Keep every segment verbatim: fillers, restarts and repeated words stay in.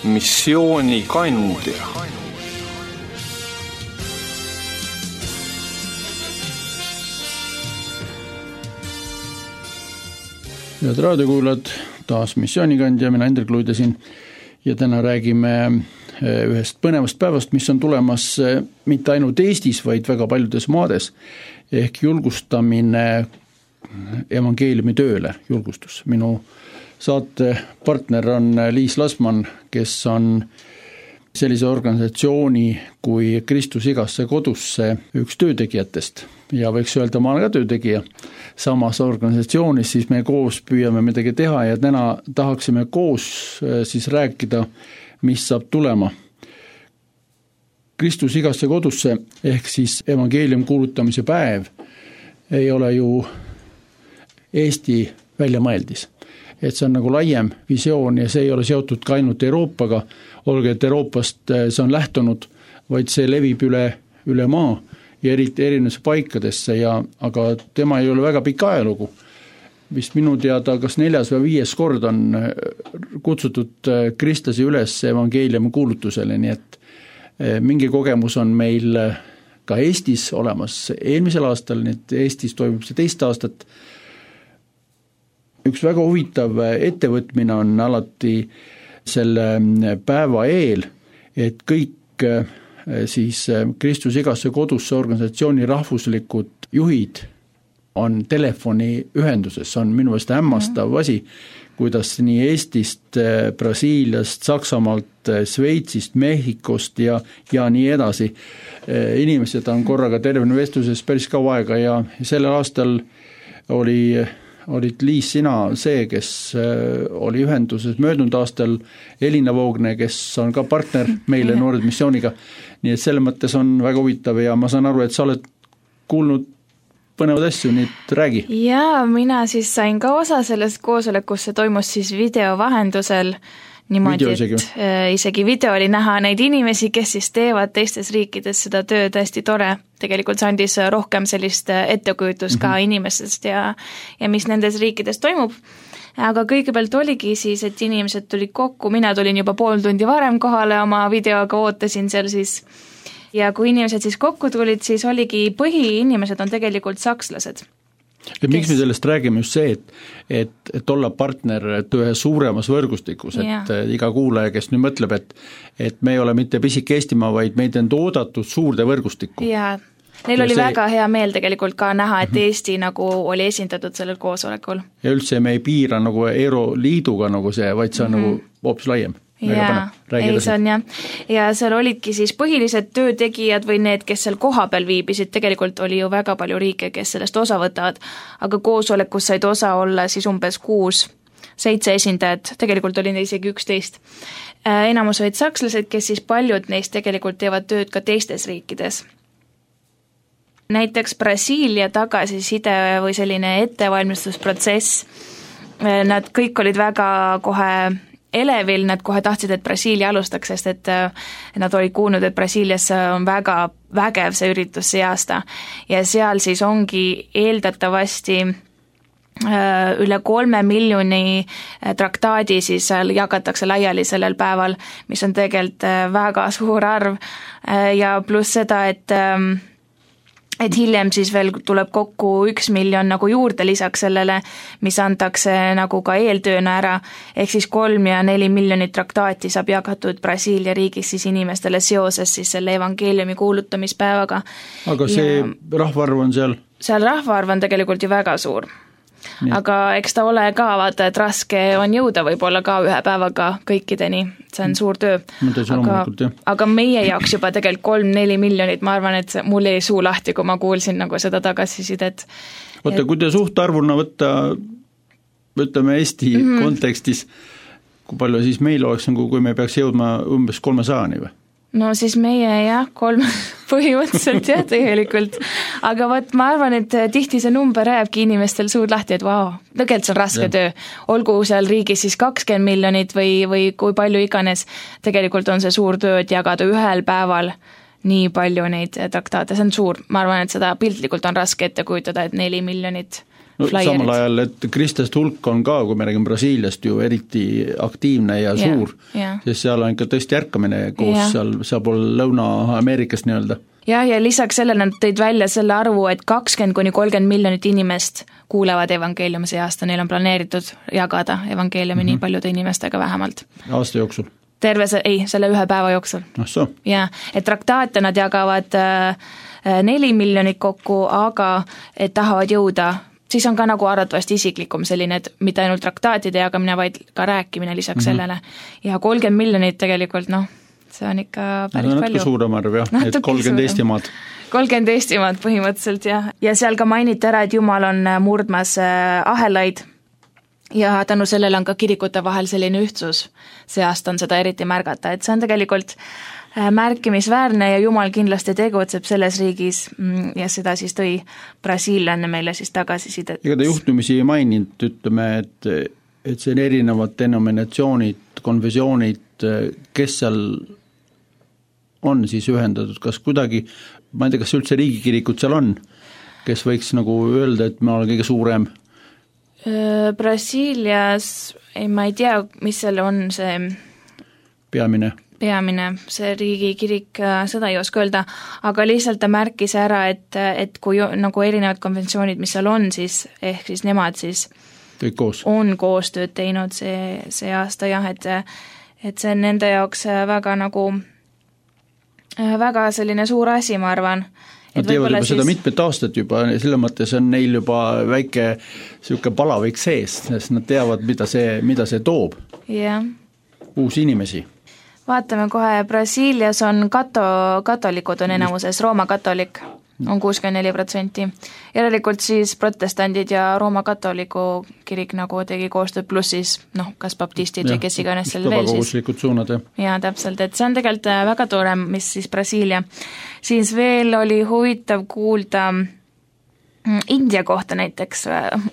missioonikandja. Head raadiokuulajad, taas missioonikandja, mina Hendrik Luidesin ja täna räägime ühest põnevast päevast, mis on tulemas mitte ainult Eestis, vaid väga paljudes maades, ehk julgustamine evangeeliumi tööle, julgustus. Minu saate partner on Liis Lasman, kes on sellise organisatsiooni kui Kristus igasse kodusse üks töötegijatest ja võiks öelda, ma olen ka töötegija samas organisatsioonis, siis me koos püüame midagi teha ja täna tahaksime koos siis rääkida, mis saab tulema. Kristus igasse kodusse ehk siis evangeelium kuulutamise päev ei ole ju Eesti väljamõeldis. Et see on nagu laiem visioon ja see ei ole seotud ka ainult Euroopaga, olge, et Euroopast see on lähtunud, vaid see levib üle, üle maa ja eriti erinevasse paikadesse, ja, aga tema ei ole väga pikk ajalugu. Vist minu teada, kas neljas või viies kord on kutsutud kristlasi üles evangeeliumi kuulutusele, nii et mingi kogemus on meil ka Eestis olemas eelmisel aastal, nii et Eestis toimub see teist aastat. Üks väga huvitav ettevõtmine on alati selle päeva eel, et kõik siis Kristus igasse kodusse organisatsiooni rahvuslikud juhid on telefoni ühenduses. See on minu meelest hämmastav asi, kuidas nii Eestist, Brasiiliast, Saksamaalt, Sveitsist, Mehhikost ja, ja nii edasi. Inimesed on korraga tervene vestluses päris kaua aega ja sellel aastal oli olid Liis sina see, kes oli ühenduses möödunud aastal, Elina Voogne, kes on ka partner meile Noored missiooniga. Nii et selle mõttes on väga huvitav ja ma saan aru, et sa oled kuulnud põnevad asju, nii et räägi. Jaa, mina siis sain ka osa sellest koosolekust, see toimus siis video vahendusel, niimoodi, video isegi. et äh, isegi video oli näha neid inimesi, kes siis teevad teistes riikides seda tööd, hästi tore. Tegelikult see andis rohkem sellist ettekujutust mm-hmm. ka inimestest ja, ja mis nendes riikides toimub. Aga kõigepealt oligi siis, et inimesed tulid kokku, mina tulin juba pool tundi varem kohale oma videoga, ootasin seal siis. Ja kui inimesed siis kokku tulid, siis oligi põhiinimesed on tegelikult sakslased. Ja miks me sellest räägime just see, et, et, et olla partner et ühe suuremas võrgustikus, et yeah. iga kuulaja, kes nüüd mõtleb, et, et me ei ole mitte pisik Eestimaa, vaid meid on oodatud suurde võrgustikku. Jaa, neil ja oli see... väga hea meel tegelikult ka näha, et Eesti mm-hmm. nagu oli esindatud sellel koosolekul. Ja üldse me ei piira nagu Euroliiduga nagu see, vaid see on mm-hmm. nagu hoopis laiem. Jaa, ei see on jah. Ja seal olidki siis põhilised töötegijad või need, kes seal koha peal viibisid, tegelikult oli ju väga palju riike, kes sellest osa võtavad, aga koosolekus said osa olla siis umbes kuus, seitse esindajat, tegelikult oli neid isegi üksteist. Enamus olid sakslased, kes siis paljud neist tegelikult teevad tööd ka teistes riikides. Näiteks Brasiilia tagasiside või selline ettevalmistusprotsess, nad kõik olid väga kohe elevil, nad kohe tahtsid, et Brasiilia alustaks, sest et nad olid kuulnud, et Brasiilias on väga vägev see üritus see aasta ja seal siis ongi eeldatavasti üle kolme miljoni traktaadi siis jagatakse laiali sellel päeval, mis on tegelikult väga suur arv ja pluss seda, et et hiljem siis veel tuleb kokku üks miljon nagu juurde lisaks sellele, mis antakse nagu ka eeltööna ära, ehk siis kolm ja neli miljonit traktaati saab jagatud Brasiilia riigis siis inimestele seoses siis selle evangeeliumi kuulutamispäevaga. Aga see ja rahvaarv on seal? Seal rahvaarv on tegelikult ju väga suur. Nii. Aga eks ta ole ka, vaata, et raske on jõuda võib-olla ka ühe päevaga kõikideni, see on suur töö. Aga, aga meie jaoks juba tegelikult kolm-neli miljonit, ma arvan, et mul jäi suu lahti, kui ma kuulsin nagu seda tagasisidet. Oota, kui te suhtarvuna võtta, võtame Eesti mm-hmm. kontekstis, kui palju siis meil oleks, kui me peaks jõudma umbes kolmesaani või? No siis meie jah, kolm põhimõtteliselt jah tegelikult, aga võt, ma arvan, et tihti see number jääbki inimestel suud lahti, et vau, wow, tegelikult see on raske ja. töö, olgu seal riigis siis kakskümmend miljonit või, või kui palju iganes, tegelikult on see suur töö, et jagada ühel päeval nii palju neid traktaate, see on suur, ma arvan, et seda piltlikult on raske ette kujutada, et neli miljonit no, samal ajal, et kristlaste hulk on ka, kui me räägime Brasiiliast ju eriti aktiivne ja yeah, suur yeah., sest seal on ikka tõesti ärkamine koos yeah. seal, seal pool Lõuna-Ameerikast nii-öelda. jah, ja lisaks sellele nad tõid välja selle arvu, et kakskümmend kuni kolmkümmend miljonit inimest kuulevad evangeeliumi see aasta, neil on planeeritud jagada evangeeliumi mm-hmm. nii paljude inimestega vähemalt. aasta jooksul? terve see, ei, selle ühe päeva jooksul. Ah so. jah, et traktaate nad jagavad äh, neli miljonit kokku, aga et tahavad jõuda, siis on ka nagu arvatavasti isiklikum selline, et mitte ainult traktaatide jagamine, vaid ka rääkimine lisaks mm-hmm. sellele. Ja kolmkümmend miljonit tegelikult, noh, see on ikka päris no, palju. Suurem arv, jah, et kolmkümmend Eestimaad. kolmkümmend Eestimaad põhimõtteliselt, jah. Ja seal ka mainiti ära, et Jumal on murdmas ahelaid ja tänu sellele on ka kirikute vahel selline ühtsus. See aasta on seda eriti märgata, et see on tegelikult märkimisväärne ja Jumal kindlasti tegutseb selles riigis ja seda siis tõi brasiillanne meile siis tagasisidet. Ega ta juhtumisi ei maininud, ütleme, et, et see on erinevad denominatsioonid, konfessioonid, kes seal on siis ühendatud, kas kuidagi, ma ei tea, kas üldse riigikirikud seal on, kes võiks nagu öelda, et ma olen kõige suurem? Brasiilias, ei, ma ei tea, mis seal on see peamine peamine, see riigikirik, seda ei oska öelda, aga lihtsalt ta märkis ära, et, et kui nagu erinevad konventsioonid, mis seal on, siis ehk siis nemad siis koos. on koostööd teinud see, see aasta jah, et, et see on nende jaoks väga nagu, väga selline suur asi, ma arvan. Nad teevad juba siis seda mitmet aastat juba, selle mõttes on neil juba väike selline palavik sees, sest nad teavad, mida see, mida see toob. Yeah. Uusi inimesi. Vaatame kohe, Brasiilias on kato, katolikud on enamuses, Rooma katolik on kuuskümmend neli protsenti. Järelikult siis protestandid ja Rooma katoliku kirik nagu tegi koostööd, pluss siis noh, kas baptistid ja, või kes iganes seal veel siis. Suunad, jah. Ja täpselt, et see on tegelikult väga tore, mis siis Brasiilia. Siis veel oli huvitav kuulda India kohta näiteks,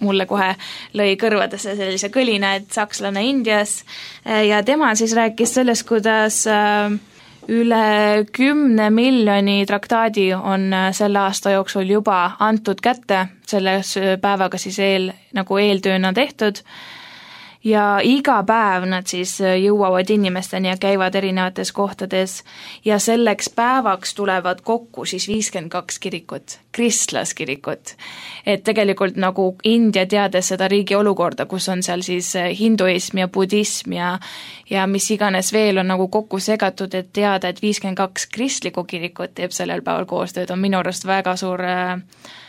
mulle kohe lõi kõrvadesse sellise kõlina, et sakslane Indias ja tema siis rääkis sellest, kuidas üle kümne miljoni traktaadi on selle aasta jooksul juba antud kätte, selles päevaga siis eel, nagu eeltööna tehtud ja iga päev nad siis jõuavad inimesteni ja käivad erinevates kohtades ja selleks päevaks tulevad kokku siis viiskümmend kaks kirikut, kristlaskirikut. Et tegelikult nagu India teades seda riigi olukorda, kus on seal siis hinduism ja budism ja, ja mis iganes veel on nagu kokku segatud, et teada, et viiskümmend kaks kristlikku kirikut teeb sellel päeval koostööd, on minu arust väga suur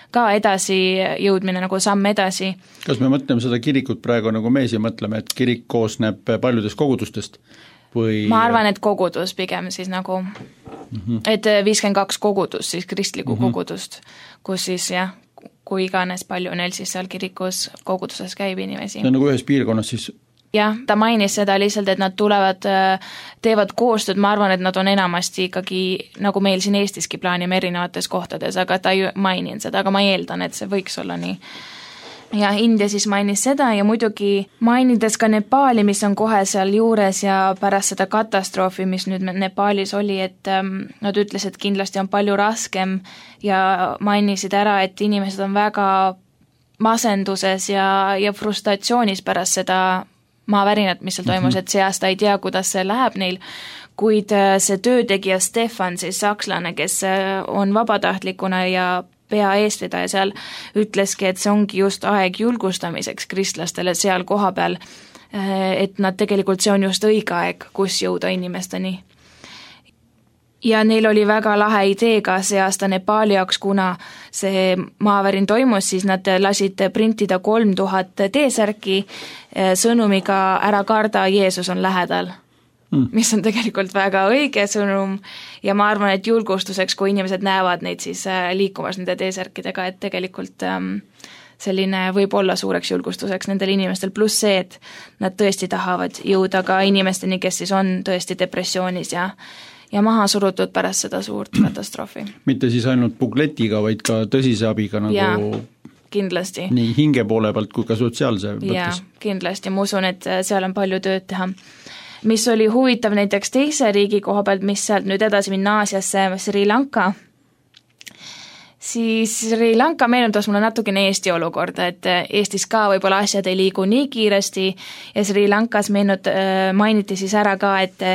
ka edasi jõudmine, nagu samm edasi. Kas me mõtleme seda kirikut praegu nagu me siin mõtleme, et kirik koosneb paljudest kogudustest? Või... Ma arvan, et kogudus pigem siis nagu, mm-hmm. et viiskümmend kaks kogudust, siis kristlikku mm-hmm. kogudust, kus siis jah, kui iganes palju neil siis seal kirikus koguduses käib inimesi. See on nagu ühes piirkonnas siis? Jah, ta mainis seda lihtsalt, et nad tulevad, teevad koostööd, ma arvan, et nad on enamasti ikkagi, nagu meil siin Eestiski plaanime erinevates kohtades, aga ta ei mainin seda, aga ma eeldan, et see võiks olla nii. Ja India siis mainis seda ja muidugi mainides ka Nepaali, mis on kohe seal juures ja pärast seda katastroofi, mis nüüd Nepaalis oli, et nad ütles, et kindlasti on palju raskem ja mainisid ära, et inimesed on väga masenduses ja, ja frustratsioonis pärast seda maavärinat, mis seal toimus, et see aasta ei tea, kuidas see läheb neil, kuid see töötegija Stefan, siis sakslane, kes on vabatahtlikuna ja pea eestvedaja seal, ütleski, et see ongi just aeg julgustamiseks kristlastele seal koha peal, et nad tegelikult, see on just õige aeg, kus jõuda inimesteni. Ja neil oli väga lahe idee ka see aasta Nepaali jaoks, kuna see maavärin toimus, siis nad lasid printida kolm tuhat T-särki sõnumiga ära karda, Jeesus on lähedal. Mm. Mis on tegelikult väga õige sõnum ja ma arvan, et julgustuseks, kui inimesed näevad neid siis liikumas nende T-särkidega, et tegelikult selline võib olla suureks julgustuseks nendel inimestel, pluss see, et nad tõesti tahavad jõuda ka inimesteni, kes siis on tõesti depressioonis ja ja maha surutud pärast seda suurt katastroofi. Mitte siis ainult bukletiga, vaid ka tõsise abiga nagu ja, kindlasti. Nii hinge poole pealt kui ka sotsiaalse mõttes. Ja, kindlasti, ma usun, et seal on palju tööd teha. Mis oli huvitav näiteks teise riigi koha pealt, mis sealt nüüd edasi minna Aasiasse, Sri Lanka, siis Sri Lanka meenutas mulle natukene Eesti olukorda, et Eestis ka võib-olla asjad ei liigu nii kiiresti ja Sri Lankas meenut-, mainiti siis ära ka, et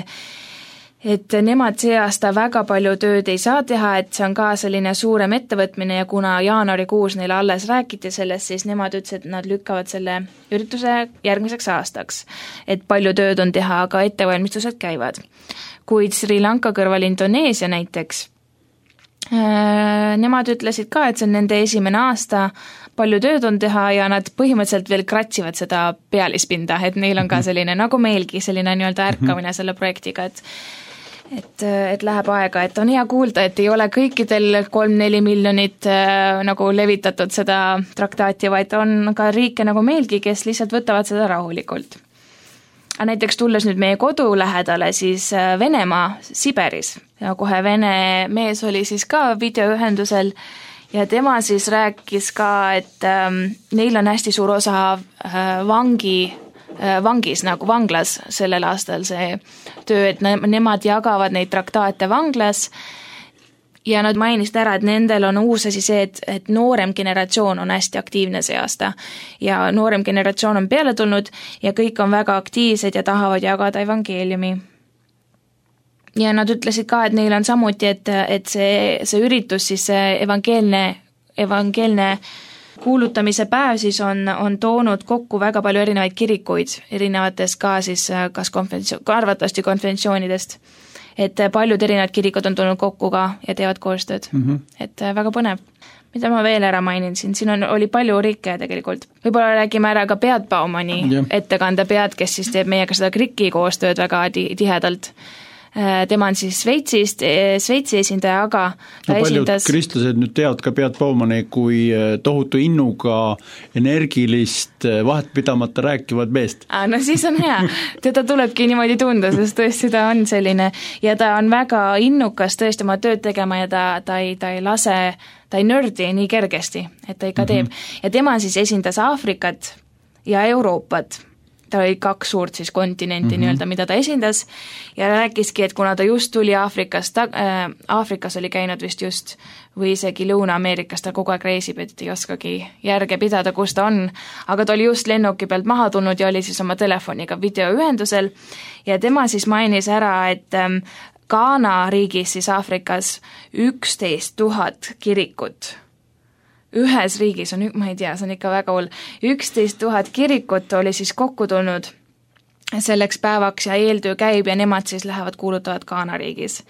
et nemad see aasta väga palju tööd ei saa teha, et see on ka selline suurem ettevõtmine ja kuna jaanuarikuus neile alles räägiti sellest, siis nemad ütlesid, et nad lükkavad selle ürituse järgmiseks aastaks. Et palju tööd on teha, aga ettevalmistused käivad. Kuid Sri Lanka kõrval Indoneesia näiteks, nemad ütlesid ka, et see on nende esimene aasta, palju tööd on teha ja nad põhimõtteliselt veel kratsivad seda pealispinda, et neil on ka selline, nagu meilgi, selline nii-öelda ärkamine selle projektiga, et et, et läheb aega, et on hea kuulda, et ei ole kõikidel kolm-neli miljonit äh, nagu levitatud seda traktaati, vaid on ka riike nagu meilgi, kes lihtsalt võtavad seda rahulikult. Aga näiteks tulles nüüd meie kodu lähedale, siis Venemaa Siberis ja kohe Vene mees oli siis ka videoühendusel ja tema siis rääkis ka, et ähm, neil on hästi suur osa äh, vangi vangis nagu vanglas sellel aastal see töö, et ne- nemad jagavad neid traktaate vanglas ja nad mainisid ära, et nendel on uus asi see, et, et noorem generatsioon on hästi aktiivne see aasta ja noorem generatsioon on peale tulnud ja kõik on väga aktiivsed ja tahavad jagada evangeeliumi. Ja nad ütlesid ka, et neil on samuti, et, et see, see üritus, siis see evangeelne, evangeelne kuulutamise päev siis on, on toonud kokku väga palju erinevaid kirikuid, erinevates ka siis kas konventsioon, arvatavasti konventsioonidest, et paljud erinevad kirikud on tulnud kokku ka ja teevad koostööd, mm -hmm. et väga põnev. Mida ma veel ära mainin siin, siin on, oli palju riike tegelikult. Võib-olla räägime ära ka Beat Baumani yeah. ettekande Beat, kes siis teeb meiega seda kriki koostööd väga tihedalt. Tema on siis Sveitsist, Sveitsi esindaja, aga ta no, paljud esindas... kristlased nüüd teavad ka Beat Baumani kui tohutu innuga energilist vahetpidamata rääkivat meest. Ah, no siis on hea, teda tulebki niimoodi tunda, sest tõesti ta on selline ja ta on väga innukas tõesti oma tööd tegema ja ta, ta, ei, ta ei lase, ta ei nördi nii kergesti, et ta ikka teeb. Mm-hmm. Ja tema siis esindas Aafrikat ja Euroopat. Ta oli kaks suurt siis kontinenti mm-hmm. nii-öelda, mida ta esindas ja rääkiski, et kuna ta just tuli Aafrikast, äh, Aafrikas oli käinud vist just või isegi Lõuna-Ameerikas, ta kogu aeg reisib, et ei oskagi järge pidada, kus ta on, aga ta oli just lennuki pealt maha tulnud ja oli siis oma telefoniga videoühendusel ja tema siis mainis ära, et ähm, Ghana riigis siis Aafrikas üksteist tuhat kirikut. Ühes riigis on, ma ei tea, see on ikka väga hull, üksteist tuhat kirikut oli siis kokku tulnud selleks päevaks ja eeltöö käib ja nemad siis lähevad kuulutavad Ghana riigis.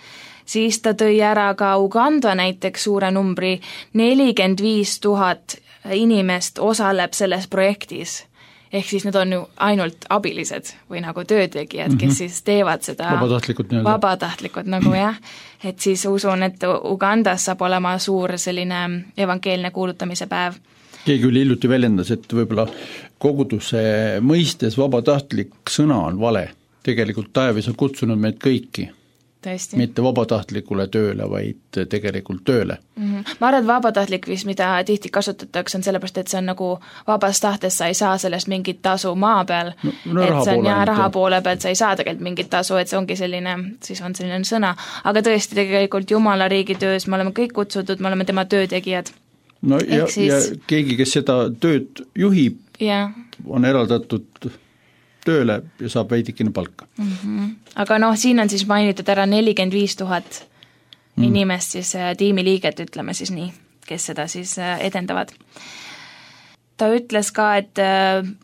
Siis ta tõi ära ka Uganda näiteks suure numbri, nelikümmend viis tuhat inimest osaleb selles projektis. Ehk siis need on ju ainult abilised või nagu töötegijad, kes mm-hmm. siis teevad seda vabatahtlikud, vabatahtlikud nagu jah, et siis usun, et Ugandas saab olema suur selline evangeelne kuulutamise päev. Keegi üli hiljuti väljendas, et võib-olla koguduse mõistes vabatahtlik sõna on vale. Tegelikult taevis on kutsunud meid kõiki. Tõesti. Mitte vabatahtlikule tööle, vaid tegelikult tööle. Mm-hmm. Ma arvan, et vabatahtlik vist, mida tihti kasutatakse, on sellepärast, et see on nagu vabast tahtes, sa ei saa sellest mingit tasu maa peal, no, no, et see on jah, raha poole pealt, sa ei saa tegelikult mingit tasu, et see ongi selline, siis on selline sõna, aga tõesti tegelikult Jumala riigi töös me oleme kõik kutsutud, me oleme tema töötegijad. No ja, siis... ja keegi, kes seda tööd juhib, yeah. on eraldatud tööle ja saab veidikene palka. Mm-hmm. Aga noh, siin on siis mainitud ära nelikümmend viis tuhat mm. inimest siis tiimiliiget, ütleme siis nii, kes seda siis edendavad. Ta ütles ka, et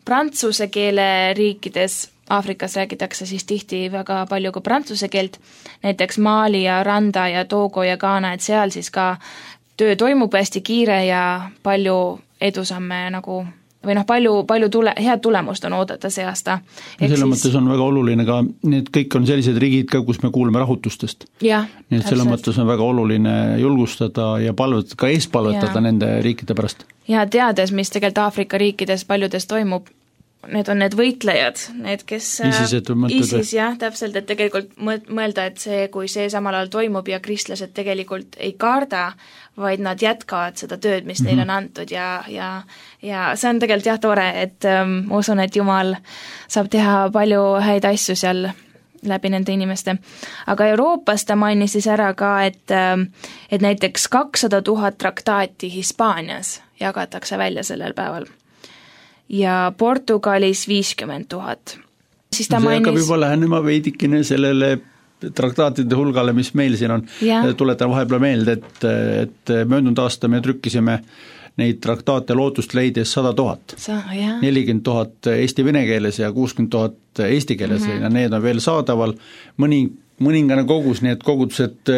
prantsuse keele riikides Aafrikas räägitakse siis tihti väga palju ka prantsuse keelt, näiteks Mali ja Randa ja Togo ja Ghana, et seal siis ka töö toimub hästi kiire ja palju edusamme nagu või noh, palju, palju tule, head tulemust on oodata see aasta. Selle siis... mõttes on väga oluline ka, need kõik on sellised riigid ka, kus me kuuleme rahutustest. Ja, nii et selle mõttes on väga oluline julgustada ja palvetada, ka eespalvetada ja. Nende riikide pärast. Ja teades, mis tegelikult Aafrika riikides paljudes toimub, need on need võitlejad, need, kes ISISed ISIS, jah, täpselt, et tegelikult mõelda, et see, kui see samal ajal toimub ja kristlased tegelikult ei karda, vaid nad jätkavad seda tööd, mis neile on antud ja, ja, ja see on tegelikult jah tore, et ähm, ma usun, et Jumal saab teha palju häid asju seal läbi nende inimeste. Aga Euroopas ta mainis siis ära ka, et, et näiteks kakssada tuhat traktaati Hispaanias jagatakse välja sellel päeval ja Portugalis viiskümmend tuhat. Siis ta see mainis... hakkab juba lähenema veidikene sellele traktaatide hulgale, mis meil siin on. Ja. Tuletan vahepeal meelde, et, et möödunud aasta me trükkisime neid traktaate lootust leides sada tuhat. nelikümmend tuhat eesti vene keeles ja kuuskümmend tuhat eesti keeles mm -hmm. ja need on veel saadaval. Mõni, mõningane kogus, nii et kogudused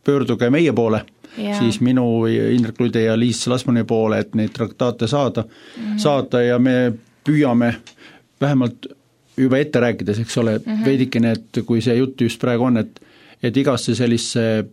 pöörduge meie poole, ja. Siis minu Indrek Luide ja Liis Lasmani poole, et neid traktaate saada, mm -hmm. saada ja me püüame vähemalt juba ette rääkides, eks ole, mm -hmm. veidikene, et kui see jutt just praegu on, et, et igasse sellise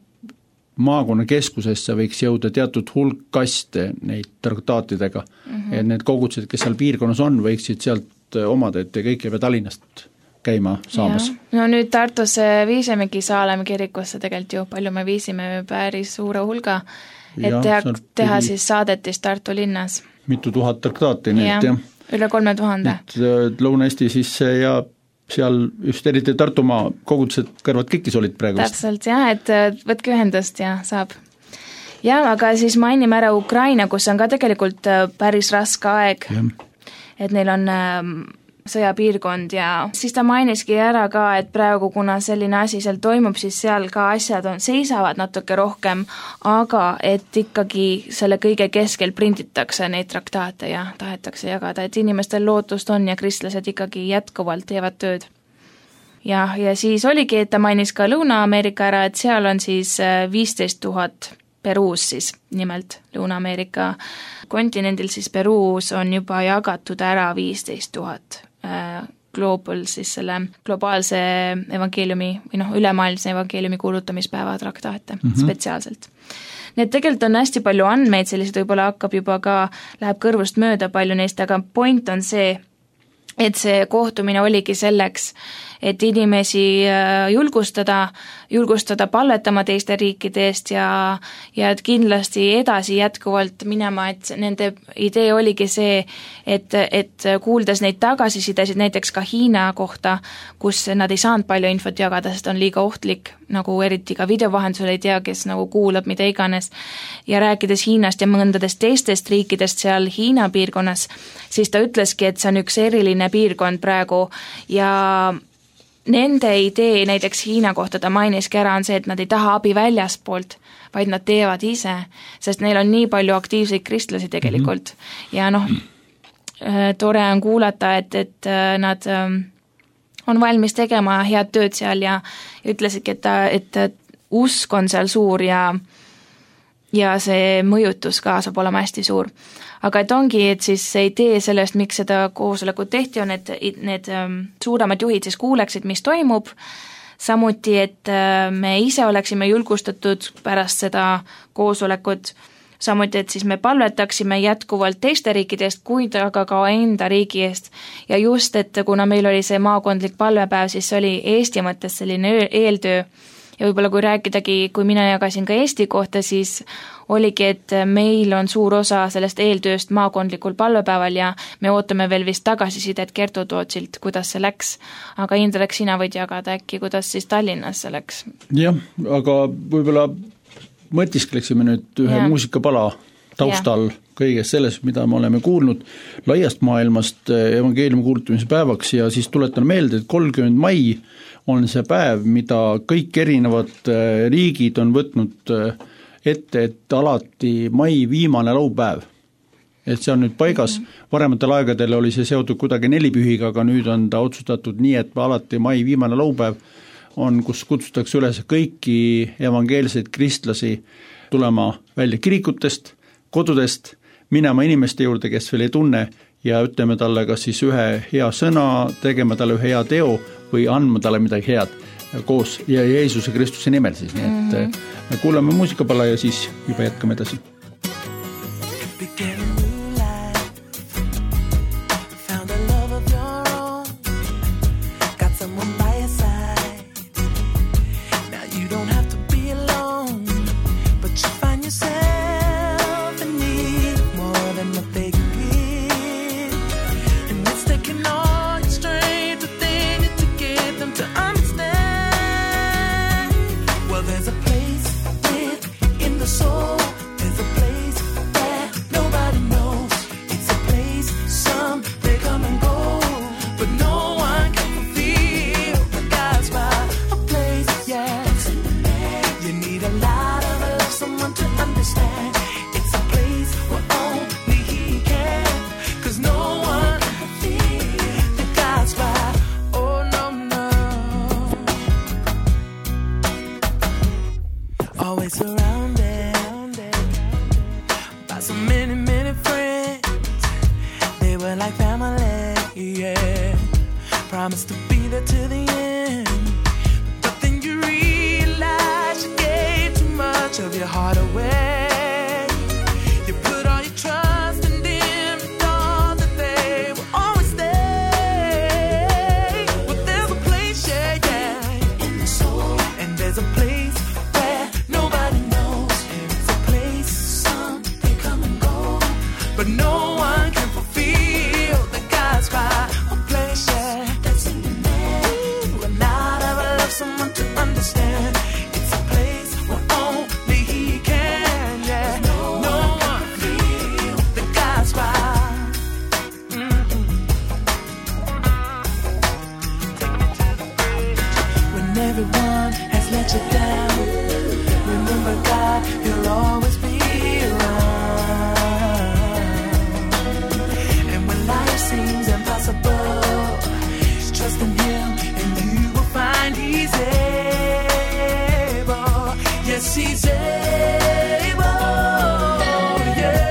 maakonna keskusesse võiks jõuda teatud hulk kaste neid traktaatidega, mm -hmm. et need kogudused, kes seal piirkonnas on, võiksid sealt omada, et kõik ei pea Tallinnast käima saamas. No nüüd Tartusse viisimegi Saalemi kirikusse tegelikult ju, palju me viisime päris suure hulga, et ja, teha, teha siis saadetis Tartu linnas. Mitu tuhat traktaati, nii et jah. Üle kolme tuhande. Lõuna-Eesti siis ja seal just eriti Tartumaa kogudused kõrvad kikis olid praegu. Täpselt jah, et võtke ühendust ja saab. Ja aga siis mainime ära Ukraina, kus on ka tegelikult päris raske aeg, ja. Et neil on sõjapiirkond ja siis ta mainiski ära ka, et praegu kuna selline asi seal toimub, siis seal ka asjad on, seisavad natuke rohkem, aga et ikkagi selle kõige keskel printitakse neid traktaate ja tahetakse jagada, et inimestel lootust on ja kristlased ikkagi jätkuvalt teevad tööd. Ja, ja siis oligi, et ta mainis ka Lõuna-Ameerika ära, et seal on siis viisteist tuhat Peruus siis nimelt Lõuna-Ameerika kontinendil siis Peruus on juba jagatud ära viisteist tuhat global siis selle globaalse evangeeliumi või noh, ülemaailmse evangeeliumi kuulutamispäeva traktaate mm -hmm. spetsiaalselt. Nii et tegelikult on hästi palju andmeid, sellised võib-olla hakkab juba ka, läheb kõrvust mööda palju neist, aga point on see, et see kohtumine oligi selleks, et inimesi julgustada, julgustada palvetama teiste riikide eest ja, ja et kindlasti edasi jätkuvalt minema, et nende idee oligi see, et, et kuuldes neid tagasisidesid näiteks ka Hiina kohta, kus nad ei saanud palju infot jagada, sest on liiga ohtlik, nagu eriti ka videovahendusel ei tea, kes nagu kuulab mida iganes, ja rääkides Hiinast ja mõndadest teistest riikidest seal Hiina piirkonnas, siis ta ütleski, et see on üks eriline piirkond praegu ja nende idee näiteks Hiina kohta ta mainiski ära on see, et nad ei taha abi väljaspoolt, vaid nad teevad ise, sest neil on nii palju aktiivseid kristlasi tegelikult mm-hmm. ja noh, tore on kuulata, et, et nad on valmis tegema head tööd seal ja ütlesidki, et, et usk on seal suur ja, ja see mõjutus ka saab olema hästi suur. Aga et ongi, et siis see idee sellest, miks seda koosolekut tehti, on, et need suuremad juhid siis kuuleksid, mis toimub, samuti, et me ise oleksime julgustatud pärast seda koosolekut, samuti, et siis me palvetaksime jätkuvalt teiste riikide eest, kuid aga ka enda riigi eest. Ja just, et kuna meil oli see maakondlik palvepäev, siis oli Eesti mõttes selline eeltöö. Ja võib-olla kui rääkidagi, kui mina jagasin ka Eesti kohta, siis oligi, et meil on suur osa sellest eeltööst maakondlikul palvepäeval ja me ootame veel vist tagasisidet Kertu Tootsilt, kuidas see läks. Aga Indrek, sina võid jagada äkki, kuidas siis Tallinnas see läks? Jah, aga võib-olla mõtiskleksime nüüd ühe ja. muusikapala taustal ja. kõigest sellest, mida me oleme kuulnud laiast maailmast evangeeliumi kuulutamise päevaks ja siis tuletan meelde, et kolmkümmend mai on see päev, mida kõik erinevad riigid on võtnud ette, et alati mai viimane laupäev. Et see on nüüd paigas, varematel aegadel oli see seotud kuidagi nelipühiga, aga nüüd on ta otsustatud nii, et alati mai viimane laupäev on, kus kutsutakse üles kõiki evangeelseid kristlasi tulema välja kirikutest, kodudest, minema inimeste juurde, kes veel ei tunne ja ütleme talle kas siis ühe hea sõna, tegema talle ühe hea teo või andma talle midagi head koos ja Jeesuse Kristuse nimel siis, nii et mm-hmm. me kuulame muusikapala ja siis juba jätkame edasi. I'm promise to be there to the end. But then you realize you gave too much of your heart away. You put all your trust in them, you thought that they will always stay. But there's a place, yeah, yeah, in the soul. And there's a place where nobody knows. And it's a place, some they come and go, but no one can fulfill the God's fire. A place, yeah, that's in the man who will not ever love someone to understand. It's a place where only He can, yeah. No, no one can feel the God's fire. Mm-mm. Take me to the bridge. When everyone has let you down, remember God, He'll always be around. And when life seems impossible, just trust in Him and you will find He's able. Yes, He's able. Yeah,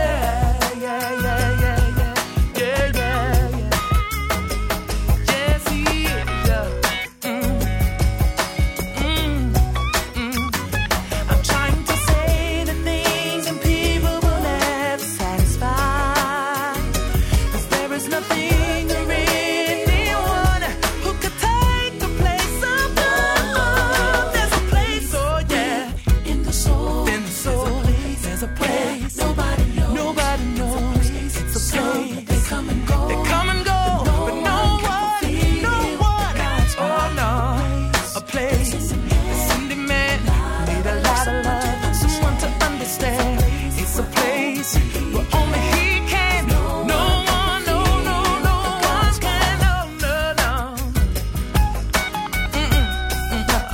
yeah, yeah, yeah, yeah, yeah, yeah, yeah. Yes, He is. Yeah. Mm. Mm. Mm. I'm trying to say the things and people will never satisfy. 'Cause there is nothing or anyone who could take the place of love. There's a place, oh yeah, in the soul. In the soul, there's a place nobody knows. Nobody knows. It's a place. They come and go. They come and go, but no one, no one. Oh no, a place. A Cindy man need a lot of love, someone to understand. It's a place where only He can. No one, no, no, no one can. No, no, no. Mm-mm, mm-mm.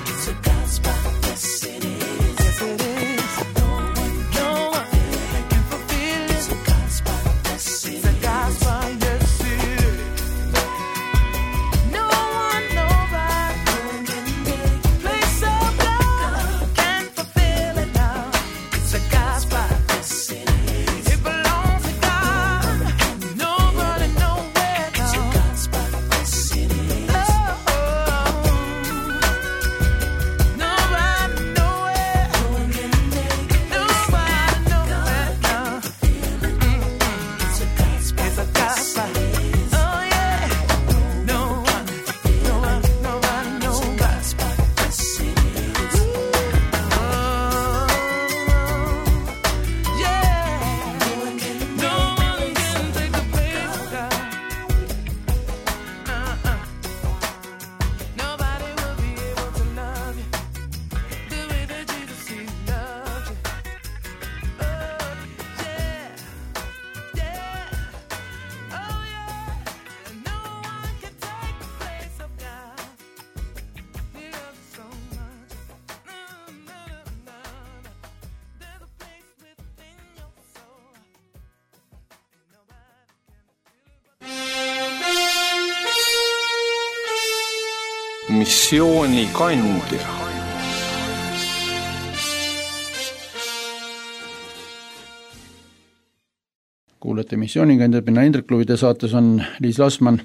It's a God's spot, yes it is. Yes it is. No one, no one can fulfill it. It's a God's spot, yes it is. It's a God's spot, yes it is. No one, nobody can make a place of love, can fulfill it now. It's a God's spot, yes it is. It belongs to God. Nobody, nowhere now. It's a God's spot, yes it is. Oh, nobody, nowhere. No one can make it. Nobody, nowhere now. It's a God's spot, it's a God's spot. Oh yeah. No one, no one, nobody, nobody. Yes it is. Oh yeah. No one can take the place of God. Uh-uh. Nobody will be able to love you the way that Jesus He loved you. Oh yeah, yeah, oh yeah. And no one can take the place of God. He loves you so much. No, no, no, no. There's a place within your soul. And nobody can feel it. Missioonikandja. kuulete missioonikandjad, mina Indrek Luvide saates on Liis Lasman.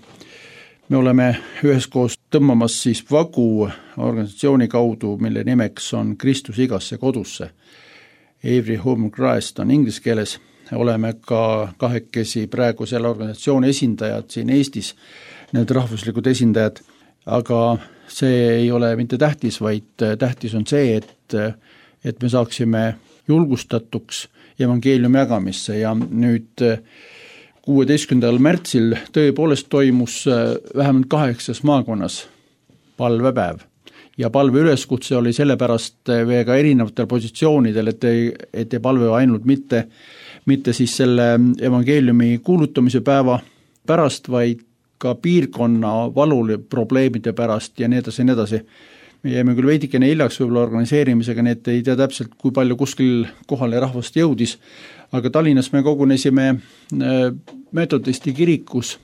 Me oleme üheskoos tõmbamas siis vagu organisatsiooni kaudu, mille nimeks on Kristus igasse kodusse. Every Home Christ on inglise keeles. Oleme ka kahekesi praegu selle organisatsiooni esindajad siin Eestis, need rahvuslikud esindajad, aga see ei ole mitte tähtis, vaid tähtis on see, et, et me saaksime julgustatuks evangeeliumi jagamisse ja nüüd kuueteistkümnendal märtsil tõepoolest toimus vähemalt kaheksas maakonnas palvepäev ja palve üleskutse oli sellepärast väga erinevatel positsioonidel, et ei, et ei palve ainult mitte, mitte siis selle evangeeliumi kuulutamise päeva pärast, vaid ka piirkonna valul probleemide pärast ja nii edasi ja nii edasi. Me jäime küll veidikene hiljaks võib-olla organiseerimisega, nii et ei tea täpselt, kui palju kuskil kohale rahvast jõudis, aga Tallinnas me kogunesime Metodisti kirikus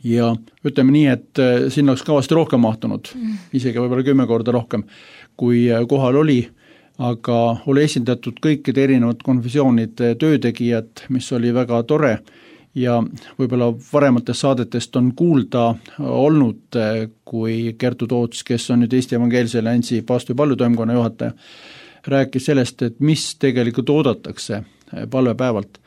ja ütleme nii, et sinna oleks kavasti rohkem mahtunud, isegi võib-olla kümme korda rohkem, kui kohal oli, aga oli esindatud kõikide erinevad konfessioonide töötegijad, mis oli väga tore ja võib-olla varematest saadetest on kuulda olnud, kui Kertu Toots, kes on nüüd Eesti Evangeelse Alliansi paavsti palvetoimkonna juhataja, rääkis sellest, et mis tegelikult oodatakse palvepäevalt.